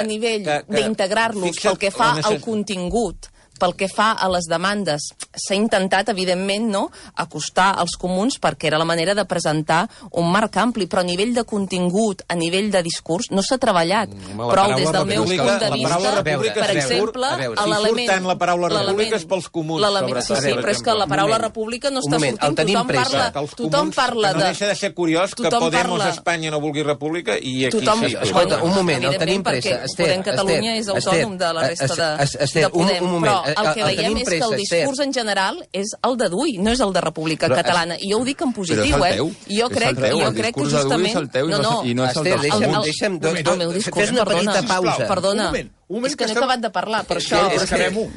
nivell d'integrar-los pel que fa al contingut, pel que fa a les demandes, s'ha intentat, evidentment, no, acostar als comuns perquè era la manera de presentar un marc ampli, però a nivell de contingut, a nivell de discurs, no s'ha treballat prou des del meu punt de vista. Per exemple, l'element... La paraula república és pels comuns. Sí, però és que la paraula república no està sortint. Tothom parla de... No deixa de ser curiós que Podemos a Espanya no vulgui república i aquí sí. Escolta, un moment, el tenim pressa. Podem Catalunya és autònom de la resta de Podem, però el que veiem és que el discurs en general és el de Dui, no és el de República Catalana. I jo ho dic en positiu, Jo crec que justament... Deixa'm... Fes una petita pausa. Perdona. És que no he acabat de parlar, per això... Acabem-ho.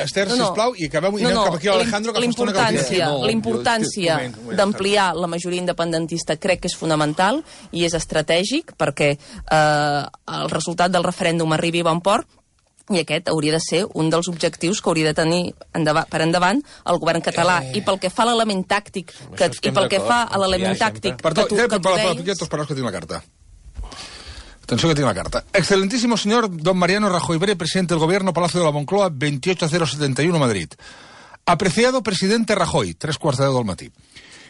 Esther, sisplau, i acabem-ho. I anem cap aquí a l'Alejandro, que fa estona que... L'importància d'ampliar la majoria independentista crec que és fonamental i és estratègic perquè el resultat del referèndum arribi a bon port, i aquest hauria de ser un dels objectius que hauria de tenir per endavant el govern català. I pel que fa a l'element tàctic que tinc la carta. Atención que tiene la carta. Excelentísimo señor don Mariano Rajoy Bré, presidente del Gobierno, Palacio de la Moncloa, 28071, Madrid. Apreciado presidente Rajoy, 3:15 del matí.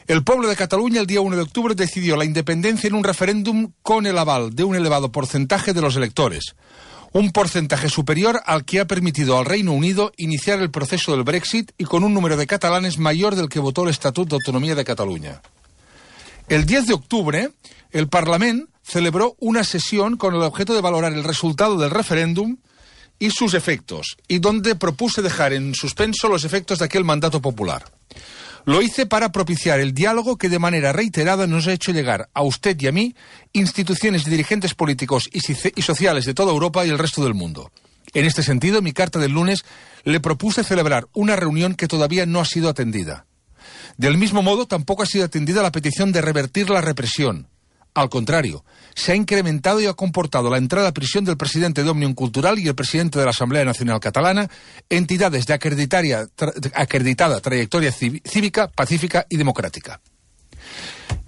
El pueblo de Cataluña el día 1 de octubre decidió la independencia en un referéndum con el aval de un elevado porcentaje de los electores. Un porcentaje superior al que ha permitido al Reino Unido iniciar el proceso del Brexit y con un número de catalanes mayor del que votó el Estatut d'Autonomia de Cataluña. El 10 de octubre, el Parlament celebró una sesión con el objeto de valorar el resultado del referéndum y sus efectos, y donde propuse dejar en suspenso los efectos de aquel mandato popular. Lo hice para propiciar el diálogo que de manera reiterada nos ha hecho llegar a usted y a mí, instituciones y dirigentes políticos y sociales de toda Europa y el resto del mundo. En este sentido, en mi carta del lunes le propuse celebrar una reunión que todavía no ha sido atendida. Del mismo modo, tampoco ha sido atendida la petición de revertir la represión. Al contrario, se ha incrementado y ha comportado la entrada a prisión del presidente de Òmnium Cultural y el presidente de la Asamblea Nacional Catalana, entidades de acreditada trayectoria cívica, pacífica y democrática.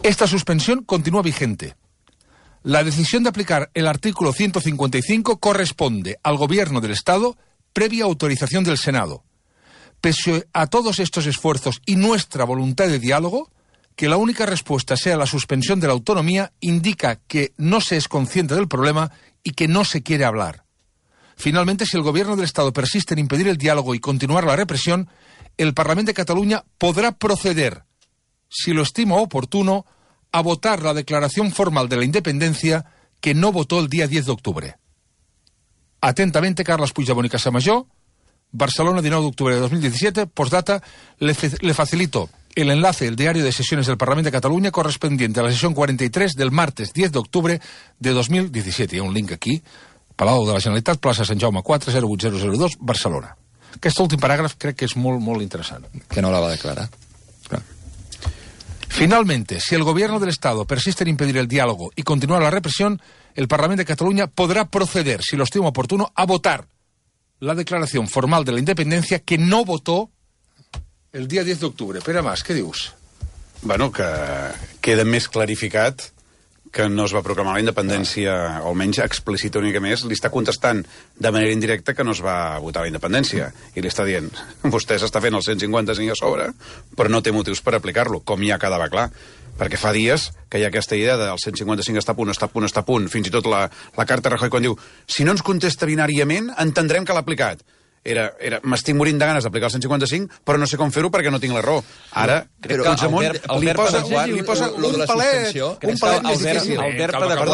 Esta suspensión continúa vigente. La decisión de aplicar el artículo 155 corresponde al Gobierno del Estado previa autorización del Senado. Pese a todos estos esfuerzos y nuestra voluntad de diálogo, que la única respuesta sea la suspensión de la autonomía indica que no se es consciente del problema y que no se quiere hablar. Finalmente, si el Gobierno del Estado persiste en impedir el diálogo y continuar la represión, el Parlamento de Cataluña podrá proceder, si lo estima oportuno, a votar la declaración formal de la independencia que no votó el día 10 de octubre. Atentamente, Carles Puigdemont y Casamajó, Barcelona, 19 de octubre de 2017, postdata, le facilito el enlace del diario de sesiones del Parlamento de Cataluña correspondiente a la sesión 43 del martes 10 de octubre de 2017. Hi ha un link aquí, Palau de la Generalitat, plaça Sant Jaume 4, 08002, Barcelona. Aquest últim paràgraf crec que és molt, molt interessant. Que no la va declarar. Finalmente, si el Gobierno del Estado persiste en impedir el diálogo y continuar la represión, el Parlamento de Cataluña podrá proceder, si lo estima oportuno, a votar la declaración formal de la independencia que no votó el dia 10 d'octubre. Pere Mas, què dius? Bueno, que queda més clarificat que no es va proclamar la independència, o almenys explícita una mica més, li està contestant de manera indirecta que no es va votar la independència. I li està dient, vostè s'està fent el 155 a sobre, però no té motius per aplicar-lo, com ja quedava clar. perquè fa dies que hi ha aquesta idea del 155 està a punt, fins i tot la carta Rajoy quan diu si no ens contesta binàriament entendrem que l'ha aplicat. M'estic morint de ganes d'aplicar el 155, però no sé com fer-ho perquè no tinc la raó. Ara, Puigdemont li posa un palet més difícil.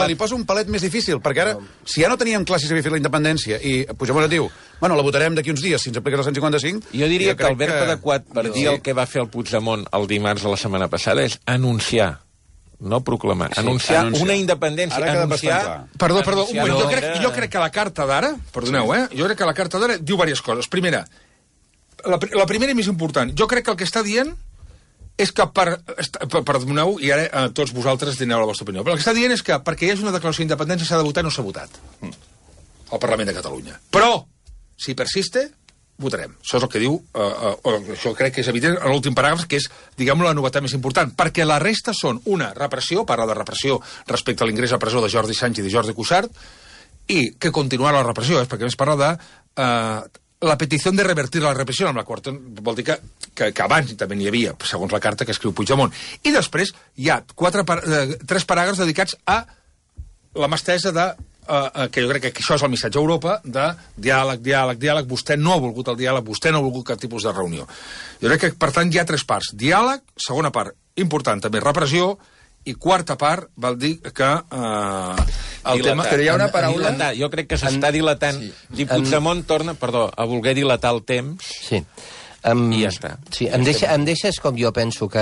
Li posa un palet més difícil, perquè ara, si ja no teníem clar si s'havia fet la independència, i Puigdemont et diu, bueno, la votarem d'aquí uns dies si ens apliques el 155... Jo diria que el verb adequat per dir el que va fer el Puigdemont el dimarts de la setmana passada és anunciar, no proclamar, anunciar una independència, anunciar... Perdó, un moment, jo crec que la carta d'ara, perdoneu, jo crec que la carta d'ara diu diverses coses. Primera, la primera i més important, jo crec que el que està dient és que perdoneu, i ara tots vosaltres dineu la vostra opinió, però el que està dient és que perquè hi hagi una declaració d'independència s'ha de votar i no s'ha votat al Parlament de Catalunya. Però, si persiste, votarem. Això és el que diu, això crec que és evident en l'últim paràgraf, que és, diguem-ho, la novetat més important, perquè la resta són una repressió, parla de repressió respecte a l'ingrés a presó de Jordi Sánchez i Jordi Cuixart, i que continuarà la repressió, perquè més parla de la petició de revertir la repressió, amb la qual vol dir que abans també n'hi havia, segons la carta que escriu Puigdemont. I després hi ha 3 paràgrafs dedicats a la mà estesa de que jo crec que això és el missatge a Europa de diàleg, vostè no ha volgut el diàleg, vostè no ha volgut cap tipus de reunió. Jo crec que, per tant, hi ha 3 parts. Diàleg, segona part, important també, repressió, i quarta part vol dir que el tema... Però hi ha una paraula... Jo crec que s'està dilatant. I Puigdemont torna, a voler dilatar el temps... Sí. I ja està. Sí, em deixes com jo penso que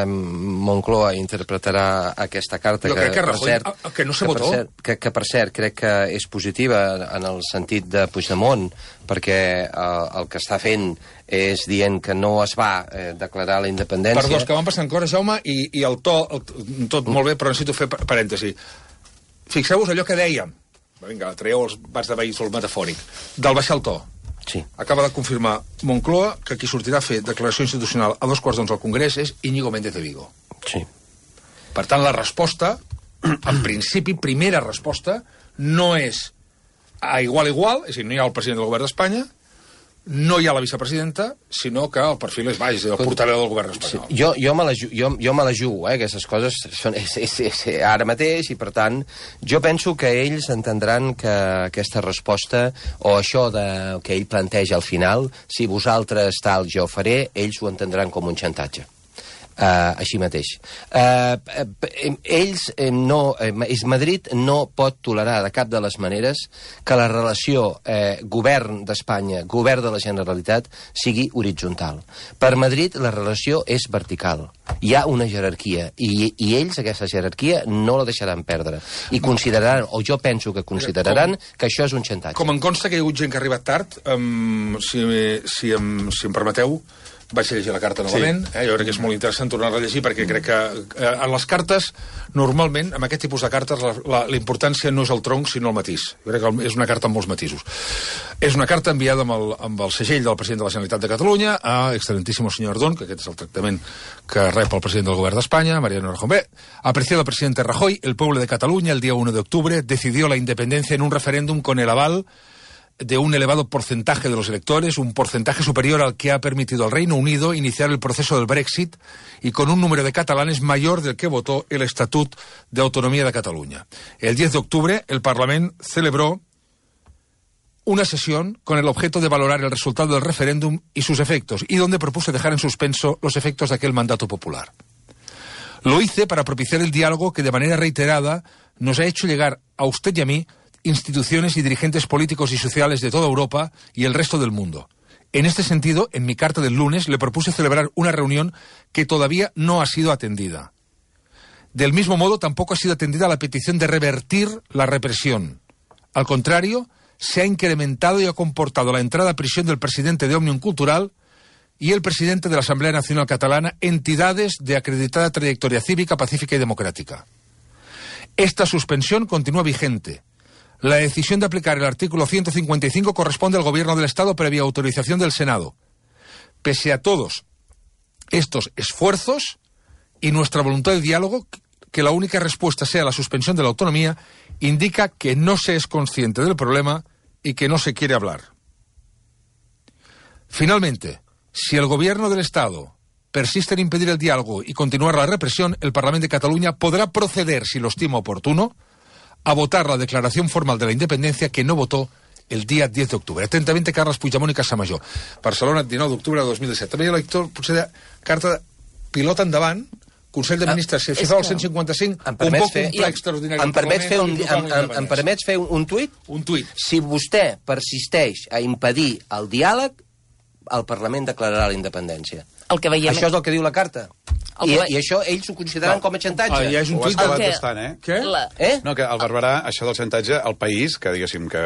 Moncloa interpretarà aquesta carta, jo crec que Rajoy, que no se votó. Que per cert crec que és positiva en el sentit de Puigdemont, perquè el que està fent és dient que no es va declarar la independència. Perdó, que van passant coses, Jaume, i el to, tot molt bé, però necessito fer parèntesi. Fixeu-vos allò que dèiem, vinga, traieu els bats de veïns, el metafòric, del baixar el to. Sí. Acaba de confirmar Moncloa que qui sortirà a fer declaració institucional a 2:15 al Congrés és Íñigo Méndez de Vigo. Sí. Per tant, la resposta, en principi, primera resposta, no és a igual, és a dir, no hi ha el president del govern d'Espanya, no hi ha la vicepresidenta, sinó que el perfil és baix, el portaveu del govern espanyol. Sí. Jo me la jugo, aquestes coses és ara mateix, i per tant, jo penso que ells entendran que aquesta resposta, o això que ell planteja al final, si vosaltres tal, jo faré, ells ho entendran com un xantatge. Així mateix. Madrid no pot tolerar de cap de les maneres que la relació govern d'Espanya, govern de la Generalitat sigui horitzontal. Per Madrid la relació és vertical. Hi ha una jerarquia i ells aquesta jerarquia no la deixaran perdre. I consideraran, o jo penso que consideraran, que això és un xantatge. Com em consta que hi ha hagut gent que ha arribat tard, si em permeteu, vaig llegir la carta novament, jo crec que és molt interessant tornar-la a llegir, perquè crec que en les cartes, normalment, amb aquest tipus de cartes, la importància no és el tronc, sinó el matís. Jo crec que és una carta amb molts matisos. És una carta enviada amb el segell del president de la Generalitat de Catalunya a excelentísimo señor Ardón, que aquest és el tractament que rep el president del govern d'Espanya, Mariano Rajoy. Apreciado presidente Rajoy, el pueblo de Cataluña, el día 1 de octubre, decidió la independencia en un referéndum con el aval de un elevado porcentaje de los electores, un porcentaje superior al que ha permitido al Reino Unido iniciar el proceso del Brexit y con un número de catalanes mayor del que votó el Estatut de Autonomía de Cataluña. El 10 de octubre el Parlament celebró una sesión con el objeto de valorar el resultado del referéndum y sus efectos, y donde propuse dejar en suspenso los efectos de aquel mandato popular. Lo hice para propiciar el diálogo que de manera reiterada nos ha hecho llegar a usted y a mí instituciones y dirigentes políticos y sociales de toda Europa y el resto del mundo. En este sentido, en mi carta del lunes le propuse celebrar una reunión que todavía no ha sido atendida. Del mismo modo, tampoco ha sido atendida la petición de revertir la represión. Al contrario, se ha incrementado y ha comportado la entrada a prisión del presidente de Òmnium Cultural y el presidente de la Asamblea Nacional Catalana, entidades de acreditada trayectoria cívica, pacífica y democrática. Esta suspensión continúa vigente. La decisión de aplicar el artículo 155 corresponde al Gobierno del Estado previa autorización del Senado. Pese a todos estos esfuerzos y nuestra voluntad de diálogo, que la única respuesta sea la suspensión de la autonomía, indica que no se es consciente del problema y que no se quiere hablar. Finalmente, si el Gobierno del Estado persiste en impedir el diálogo y continuar la represión, el Parlamento de Cataluña podrá proceder, si lo estima oportuno, a votar la declaración formal de la independencia que no votó el dia 10 d'octubre. Atentamente, Carles Puigdemont i Casamajor. Barcelona, 19 d'octubre de 2017. També hi ha lector, potser, de carta de pilota endavant, Consell de Ministres, si fa el 155, un poc un ple extraordinari. Em permets fer un tuit? Un tuit. Si vostè persisteix a impedir el diàleg, el Parlament declararà la independència. El que veiem... Això és el que diu la carta. I això ells ho consideren com a xantatge. Ja és un tuit debat bastant, Què? No, que el Barberà, això del xantatge, el País, que diguéssim que...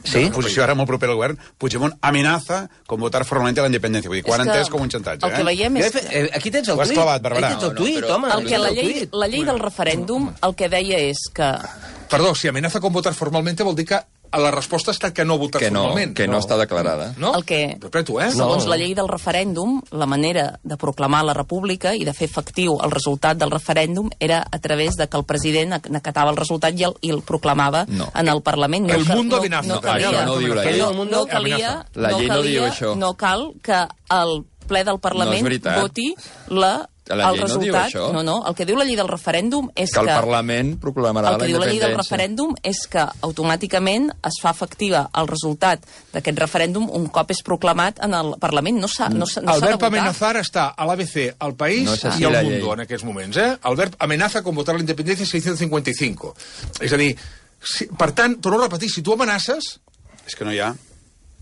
Sí? La posició ara molt propera al govern, Puigdemont amenaza con votar formalmente la independencia. Vull dir, quan entès com un xantatge, El que veiem és... Aquí tens el tuit. Ho has clavat, Barberà. Aquí tens el tuit, home. La llei del referèndum el que deia és que... Perdó, si amenaza con votar formalmente vol dir que la resposta ha estat que no votar formalment. Que no està declarada. No? El que, Repreto, segons la llei del referèndum, la manera de proclamar la república i de fer efectiu el resultat del referèndum era a través de que el president acatava el resultat i el proclamava en el Parlament. El mundo amenaza. No diu la llei. La llei no diu això. No cal que el ple del Parlament voti el resultat. No, el que diu la llei del referèndum és que... el Parlament proclamarà la independència. El que diu la llei del referèndum és que automàticament es fa efectiva el resultat d'aquest referèndum un cop és proclamat en el Parlament. No s'ha de votar. El verb amenazar està a l'ABC, al País i al Mundo en aquests moments. El verb amenaza con votar la independència 655. És a dir, per tant, torno a repetir, si tu amenaces... És que no hi ha...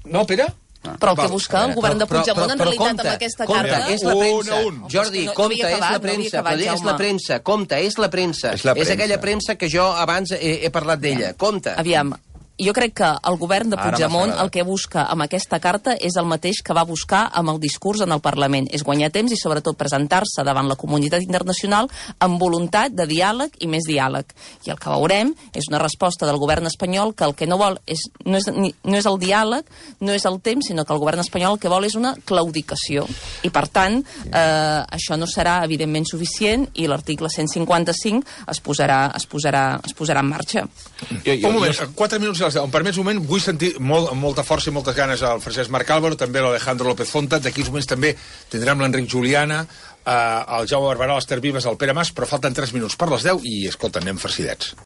No, Pere? Però el que busca el govern de Puigdemont en realitat amb aquesta carta... És la premsa. Jordi, compte, és la premsa. És la premsa. Compte, és la premsa. És aquella premsa que jo abans he parlat d'ella. Compte. Aviam, jo crec que el govern de Puigdemont el que busca amb aquesta carta és el mateix que va buscar amb el discurs en el Parlament. És guanyar temps i sobretot presentar-se davant la comunitat internacional amb voluntat de diàleg i més diàleg. I el que veurem és una resposta del govern espanyol que el que no vol no és el diàleg, no és el temps, sinó que el govern espanyol el que vol és una claudicació. I per tant, això no serà evidentment suficient i l'article 155 es posarà en marxa. Un moment, 4 minuts. Em permets un moment, vull sentir amb molta força i moltes ganes al Francesc Marc Álvaro, també l'Alejandro López Fonta, d'aquí uns moments també tindrem l'Enric Juliana, el Jaume Barberà, l'Ester Vives, el Pere Mas, però falten 3 minuts per les 10 i, escolta, anem farcidets.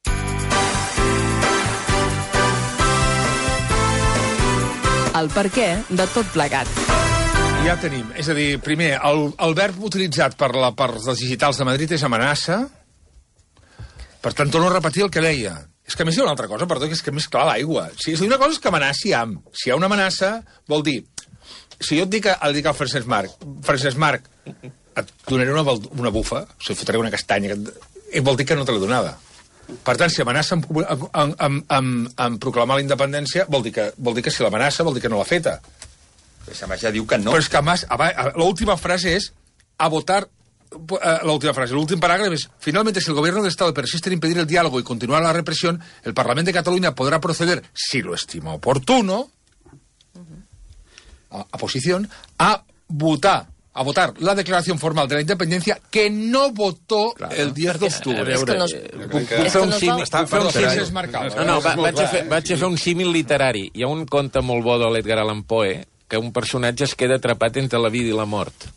El perquè de tot plegat. Ja tenim, és a dir, primer, el verb utilitzat per els digitals de Madrid és amenaça, per tant, torno a repetir el que deia. És que a més hi ha una altra cosa, perdó, que és que més clar l'aigua. Una cosa és que amenaci amb. Si hi ha una amenaça, vol dir... Si jo et dic al Francesc Marc, et donaré una bufa, o sigui, fotré una castanya, vol dir que no te l'he donada. Per tant, si amenaça en proclamar la independència, vol dir que si l'amenaça, vol dir que no l'ha feta. Però ja diu que no. Però és que l'última frase és a votar... l'últim parágrafo es: finalmente, si el gobierno del Estado persiste en impedir el diálogo y continuar la represión, el Parlamento de Cataluña podrá proceder, si lo estima oportuno, a votar la declaración formal de la independencia que no votó el 10 d'octubre. Vaig a fer un símil literari. Hi ha un conte molt bo de l'Edgar Allan Poe que un personatge es queda atrapat entre la vida i la mort.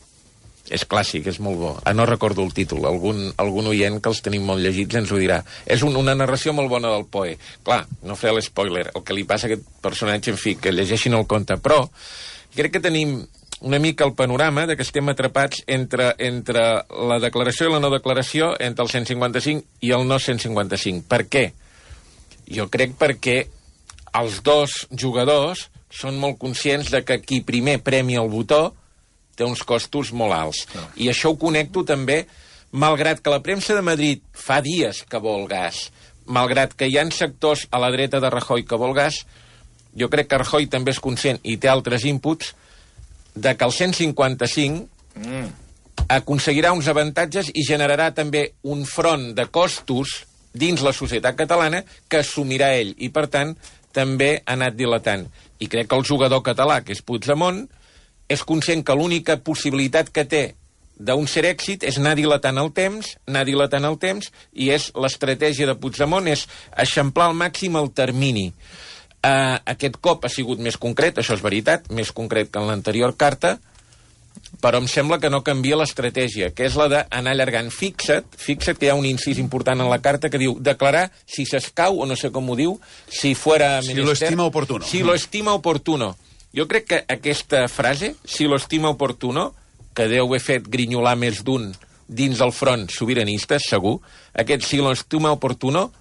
És clàssic, és molt bo. No recordo el títol. Algun oient que els tenim molt llegits ens ho dirà. És una narració molt bona del Poe. Clar, no faré l'espoiler. El que li passa a aquest personatge, en fi, que llegeixin el conte. Però crec que tenim una mica el panorama de que estem atrapats entre la declaració i la no declaració, entre el 155 i el no 155. Per què? Jo crec perquè els dos jugadors són molt conscients de que qui primer premia el botó té uns costos molt alts. I això ho connecto també, malgrat que la premsa de Madrid fa dies que vol gas, malgrat que hi ha sectors a la dreta de Rajoy que vol gas, jo crec que Rajoy també és conscient i té altres inputs de que el 155 aconseguirà uns avantatges i generarà també un front de costos dins la societat catalana que assumirà ell i, per tant, també ha anat dilatant. I crec que el jugador català, que és Puigdemont, és conscient que l'única possibilitat que té d'un cert èxit és anar dilatant el temps, i és l'estratègia de Puigdemont és eixamplar al màxim el termini. Aquest cop ha sigut més concret, això és veritat, més concret que en l'anterior carta, però em sembla que no canvia l'estratègia, que és la d'anar allargant. Fixa't que hi ha un incís important en la carta que diu declarar si s'escau, o no sé com ho diu, si fuera menester... Si lo estima oportuno. Si lo estima oportuno. Jo crec que aquesta frase, si lo estima oportuno, que deu haver fet grinyolar més d'un dins del front sobiranista, segur, aquest si lo estima oportuno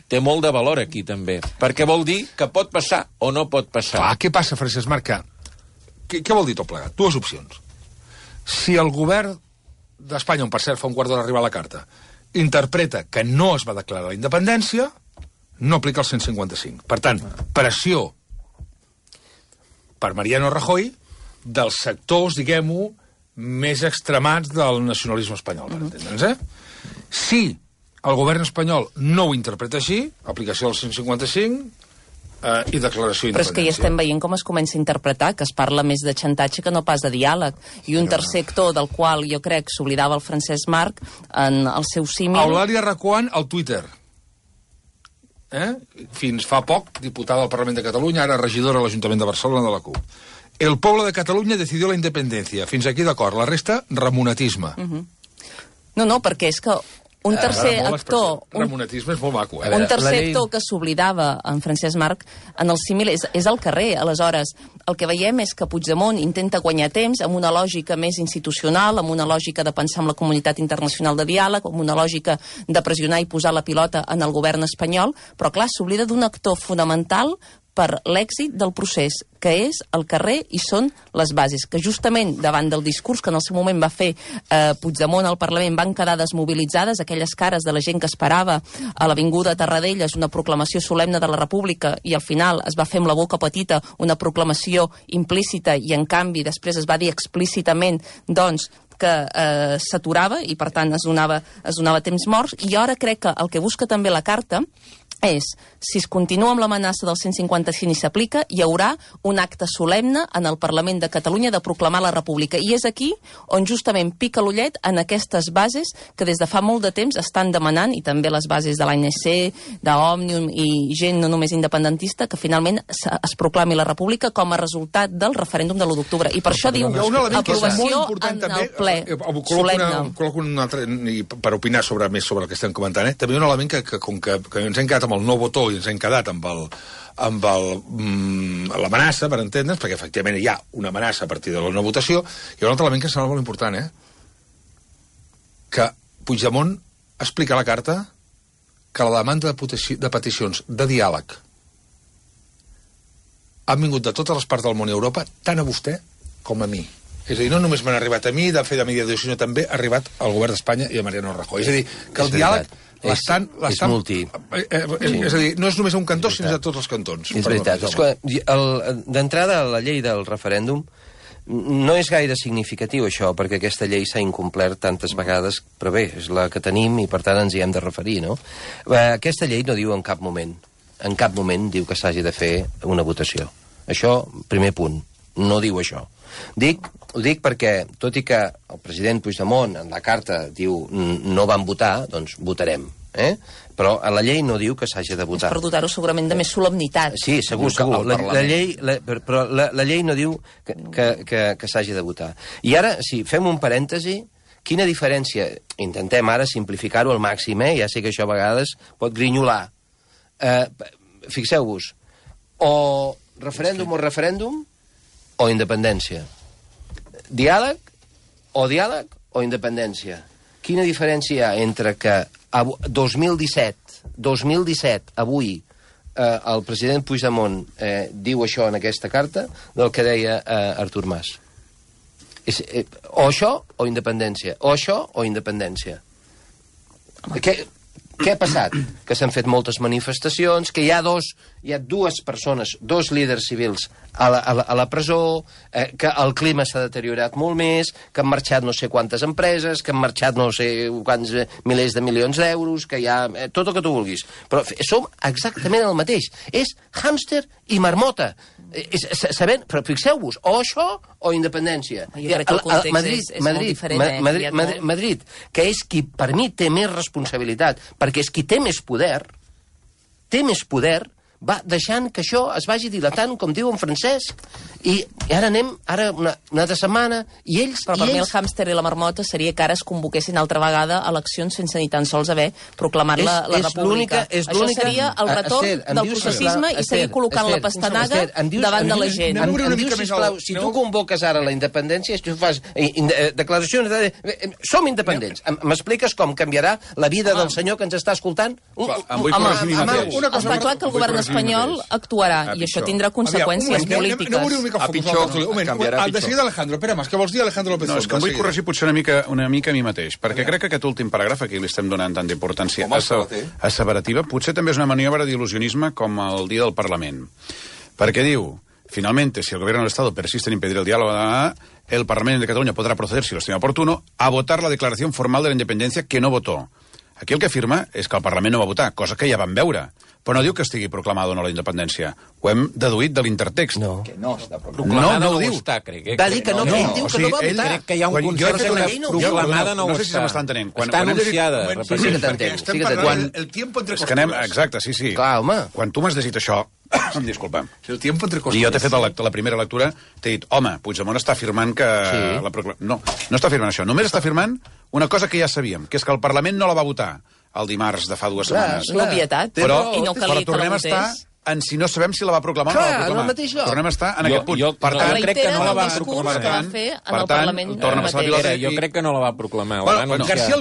té molt de valor aquí, també. Perquè vol dir que pot passar o no pot passar. Clar, què passa, Francesc Marc? Què vol dir tot plegat? Dues opcions. Si el govern d'Espanya, on per cert fa un quart d'hora arribar la carta, interpreta que no es va declarar la independència, no aplica el 155. Per tant, pressió per Mariano Rajoy dels sectors, diguem-ho, més extremats del nacionalisme espanyol, per entendre'ns, Si el govern espanyol no ho interpreta així, aplicació del 155 i declaració d'independència. Però és que ja estem veient com es comença a interpretar, que es parla més de xantatge que no pas de diàleg. I un tercer actor del qual jo crec s'oblidava el Francesc Marc en el seu símil... Eulàlia Reguant al Twitter. Fins fa poc, diputada del Parlament de Catalunya, ara regidora a l'Ajuntament de Barcelona de la CUP. El poble de Catalunya decidió la independència. Fins aquí d'acord. La resta, remonatisme. No, perquè és que un tercer actor... Remonatisme és molt maco, Un tercer actor que s'oblidava, en Francesc Marc, en el símil és al carrer. Aleshores, el que veiem és que Puigdemont intenta guanyar temps amb una lògica més institucional, amb una lògica de pensar en la comunitat internacional de diàleg, amb una lògica de pressionar i posar la pilota en el govern espanyol, però clar, s'oblida d'un actor fonamental per l'èxit del procés, que és el carrer i són les bases, que justament davant del discurs que en el seu moment va fer Puigdemont al Parlament van quedar desmobilitzades, aquelles cares de la gent que esperava a l'Avinguda Tarradellas una proclamació solemne de la República i al final es va fer amb la boca petita una proclamació implícita i en canvi després es va dir explícitament doncs que s'aturava i per tant es donava temps morts i ara crec que el que busca també la carta és, si es continua amb l'amenaça del 155 i s'aplica, hi haurà un acte solemne en el Parlament de Catalunya de proclamar la República. I és aquí on justament pica l'ullet en aquestes bases que des de fa molt de temps estan demanant, i també les bases de l'ANC, d'Òmnium i gent no només independentista, que finalment es proclami la República com a resultat del referèndum de l'1 d'octubre. I per això diu aprovació en el ple solemne. Col·loco un altre, per opinar més sobre el que estem comentant, també un element que ens hem quedat amb el no votó i ens hem quedat amb l'amenaça, per entendre'ns, perquè efectivament hi ha una amenaça a partir de la no votació, i un altre element que sembla molt important, que Puigdemont explica a la carta que la demanda de peticions de diàleg han vingut de totes les parts del món i Europa, tant a vostè com a mi. És a dir, no només m'han arribat a mi de fer de mediació, sinó també ha arribat al govern d'Espanya i a Mariano Rajoy. És a dir, que el diàleg és multi. És a dir, no és només un cantó, sinó de tots els cantons. És veritat. D'entrada, la llei del referèndum no és gaire significatiu, això, perquè aquesta llei s'ha incomplert tantes vegades, però bé, és la que tenim i, per tant, ens hi hem de referir, no? Aquesta llei no diu en cap moment diu que s'hagi de fer una votació. Això, primer punt, no diu això. Ho dic perquè, tot i que el president Puigdemont en la carta diu no van votar, doncs votarem. Però a la llei no diu que s'hagi de votar. És per dotar-ho segurament de més solemnitat. Sí, segur. Però la llei no diu que s'hagi de votar. I ara, si fem un parèntesi, quina diferència? Intentem ara simplificar-ho al màxim, ja sé que això a vegades pot grinyolar. Fixeu-vos, o referèndum o independència. Diàleg o independència. Quina diferència hi ha entre que 2017, avui, el president Puigdemont diu això en aquesta carta del que deia Artur Mas? O això o independència. O això o independència. Què ha passat? Que s'han fet moltes manifestacions, que hi ha dues persones, dos líders civils a la presó, que el clima s'ha deteriorat molt més, que han marxat no sé quantes empreses, que han marxat no sé quants milers de milions d'euros, que hi ha tot el que tu vulguis. Però som exactament el mateix. És hàmster i marmota. Però fixeu-vos, o això o independència. Jo crec que el context és molt diferent. Madrid, que és qui per mi té més responsabilitat, perquè és qui té més poder va deixant que això es vagi dilatant, com diu en Francesc, i ara anem, una altra setmana, i ells... Però per mi el hàmster i la marmota seria que ara es convoquessin altra vegada eleccions sense ni tan sols haver proclamat la república. Això seria el retorn del processisme i seguir col·locant la pastanaga davant de la gent. Em dius, sisplau, si tu convoques ara la independència, tu fas declaracions de... Som independents. M'expliques com canviarà la vida del senyor que ens està escoltant? Està clar que el govern espanyol actuarà i això tindrà conseqüències polítiques. A pitjor, canviarà a pitjor. De seguida, Alejandro, espera, què vols dir, Alejandro López? No, és que em vull corregir potser una mica a mi mateix, perquè crec que aquest últim paràgraf aquí li estem donant tanta importància asseverativa, potser també és una maniobra d'il·lusionisme com el dia del Parlament. Perquè diu, finalmente, si el gobierno del Estado persiste en impedir el diálogo, el Parlamento de Cataluña podrá proceder, si lo estima oportuno, a votar la declaración formal de la independencia que no votó. Aquí el que afirma és que el Parlament no va votar, cosa que ja vam veure. Però no diu que estigui proclamada o no la independència. Ho hem deduït de l'intertext. No. Que no està proclamada, no ho diu. Va dir que no, ell diu que no va votar. Crec que hi ha un consens que proclamada no ho està. No sé si se m'està entenent. Està anunciada. Sí que t'entenc. El tiempo entre cosas. Exacte, sí. Clar, home. Quan tu m'has llegit això, disculpa, i jo t'he fet la primera lectura, t'he dit, home, Puigdemont està afirmant que... No està afirmant això. Només està afirmant una cosa que ja sabíem, que és que el Parlament no la va votar el dimarts de fa 2 setmanes. L'obvietat, però tornem a estar en si no sabem si la va proclamar o no la va proclamar. Tornem a estar en aquest punt. Per tant, crec que no la va proclamar. Per tant, torna a passar la pilota. Jo crec que no la va proclamar. Però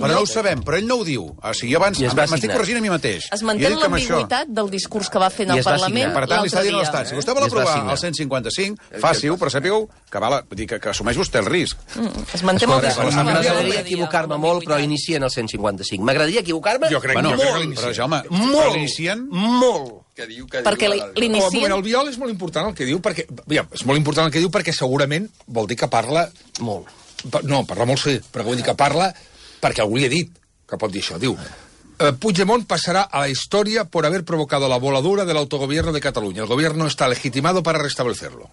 no ho sabem, però ell no ho diu. O sigui, jo abans m'estic corregint a mi mateix. Es manté l'ambigüitat del discurs que va fer en el Parlament l'altre dia. Per tant, li està dient a l'Estat, si vostè vol aprovar el 155, faci-ho, però sàpigu que assumeix vostè el risc. Es manté molt discurs. M'agradaria equivocar-me molt, però inicien el 155. M'agradaria equivocar-me molt. Però, Jaume, l'inicien molt. Perquè l'inicien... El Biol és molt important el que diu, perquè segurament vol dir que parla molt. No, parla molt sí, però vull dir que parla perquè algú li ha dit que pot dir això. Diu, Puigdemont pasará a la historia por haber provocado la voladura del autogobierno de Cataluña. El gobierno está legitimado para restablecerlo. O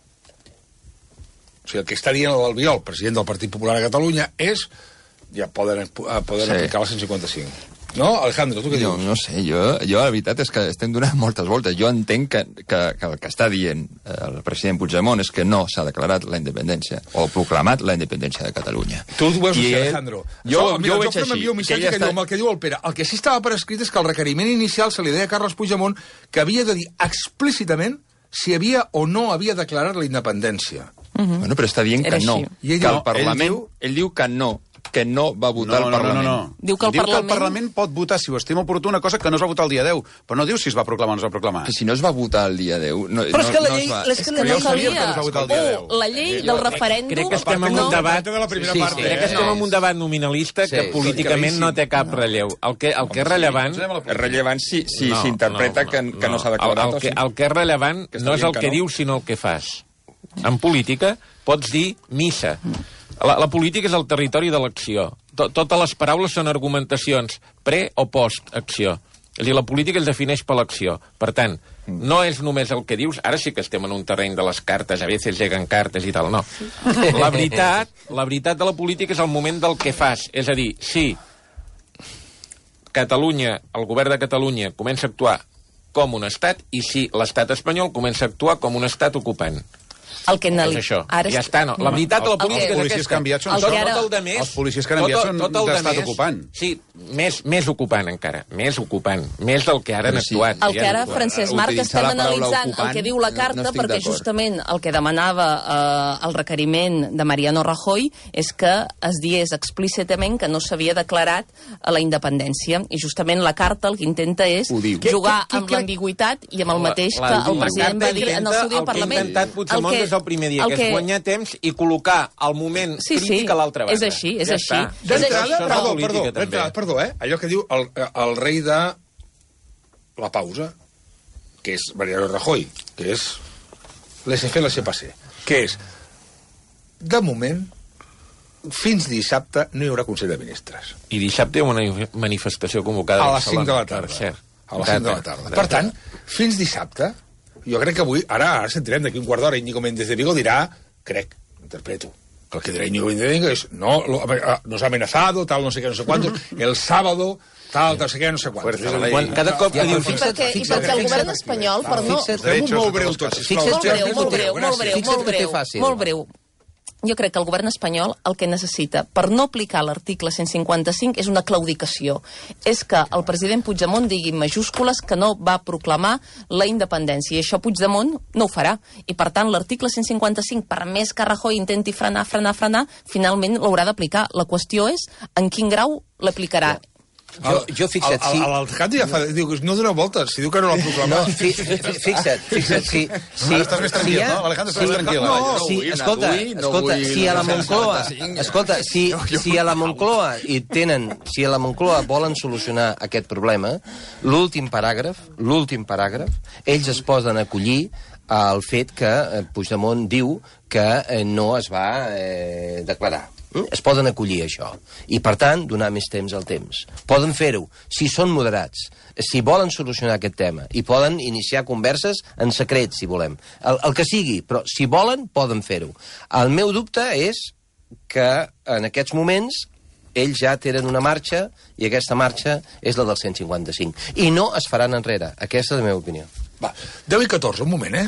sigui, el que està dient el Biol, president del Partit Popular a Catalunya, és ja poden aplicar el 155. No, Alejandro, tu què dius? No sé, jo la veritat és que estem donant moltes voltes. Jo entenc que el que està dient el president Puigdemont és que no s'ha declarat la independència o proclamat la independència de Catalunya. Tu ho veus així, Alejandro? Jo ho veig així. Un missatge que el que diu el Pere. El que sí estava per escrit és que el requeriment inicial se li deia a Carles Puigdemont que havia de dir explícitament si havia o no havia declarat la independència. Bueno, però està dient que no. Que el Parlament... Ell diu que no va votar el Parlament. No. Diu que el Parlament pot votar, si ho estima oportú, una cosa que no es va votar el dia 10, però no diu si es va proclamar o no es va proclamar. Que si no es va votar el dia 10... Però és que la llei... no calia. La llei del referèndum... Crec que estem en un debat... Crec que estem en un debat nominalista que políticament no té cap relleu. El que és rellevant... És rellevant si s'interpreta que no s'ha declarat. El que és rellevant no és el que dius, sinó el que fas. En política pots dir missa. La política és el territori de l'acció. Totes les paraules són argumentacions pre o post-acció. És a dir, la política es defineix per l'acció. Per tant, no és només el que dius, ara sí que estem en un terreny de les cartes, a vegades lleguen cartes i tal, no. La veritat de la política és el moment del que fas. És a dir, si Catalunya, el govern de Catalunya, comença a actuar com un estat i si l'estat espanyol comença a actuar com un estat ocupant. És això. Ja està, no. La veritat de la política és aquesta. Els policies que han enviat són d'estat ocupant. Sí, més ocupant encara. Més ocupant. Més del que ara han actuat. El que ara, Francesc Marc, estem analitzant el que diu la carta, perquè justament el que demanava el requeriment de Mariano Rajoy és que es digués explícitament que no s'havia declarat la independència. I justament la carta el que intenta és jugar amb l'ambigüitat i amb el mateix que el president va dir en el seu dia al Parlament. El primer dia, que és guanyar temps i col·locar el moment crític a l'altra banda. És així, és així. Perdó, allò que diu el rei de la pausa, que és Mariano Rajoy, que és laissez-faire, laissez-passer, que és, de moment, fins dissabte no hi haurà Consell de Ministres. I dissabte hi ha una manifestació convocada a les 5 de la tarda. A les 5 de la tarda. Per tant, fins dissabte, jo crec que avui, ara sentirem d'aquí un quart d'hora, Íñigo Méndez de Vigo dirà, interpreto, que el que dirá Íñigo Méndez de Vigo es, no, nos ha amenazado, tal, no sé qué, no sé cuánto, el sábado tal, no sé què, no sé quant. Cada cop que diu... I perquè el govern espanyol, per no... Molt breu tot, sisplau. Molt breu. Jo crec que el govern espanyol el que necessita per no aplicar l'article 155 és una claudicació. És que el president Puigdemont digui en majúscules que no va proclamar la independència. I això Puigdemont no ho farà. I per tant l'article 155, per més que Rajoy intenti frenar, finalment l'haurà d'aplicar. La qüestió és en quin grau l'aplicarà. Jo fixa't, si... L'alcalde ja fa... Diu que no dona voltes, si diu que no l'ha proclamat. No, fixa't, si... Estàs més tranquil, no? Alejandro, estàs més tranquil. Escolta, si a la Moncloa... Escolta, si a la Moncloa hi tenen... Si a la Moncloa volen solucionar aquest problema, l'últim paràgraf, ells es poden acollir al fet que Puigdemont diu que no es va declarar. Es poden acollir això. I, per tant, donar més temps al temps. Poden fer-ho, si són moderats, si volen solucionar aquest tema, i poden iniciar converses en secret, si volem. El que sigui, però si volen, poden fer-ho. El meu dubte és que, en aquests moments, ells ja tenen una marxa, i aquesta marxa és la del 155. I no es faran enrere. Aquesta és la meva opinió. Va, 10 i 14, un moment,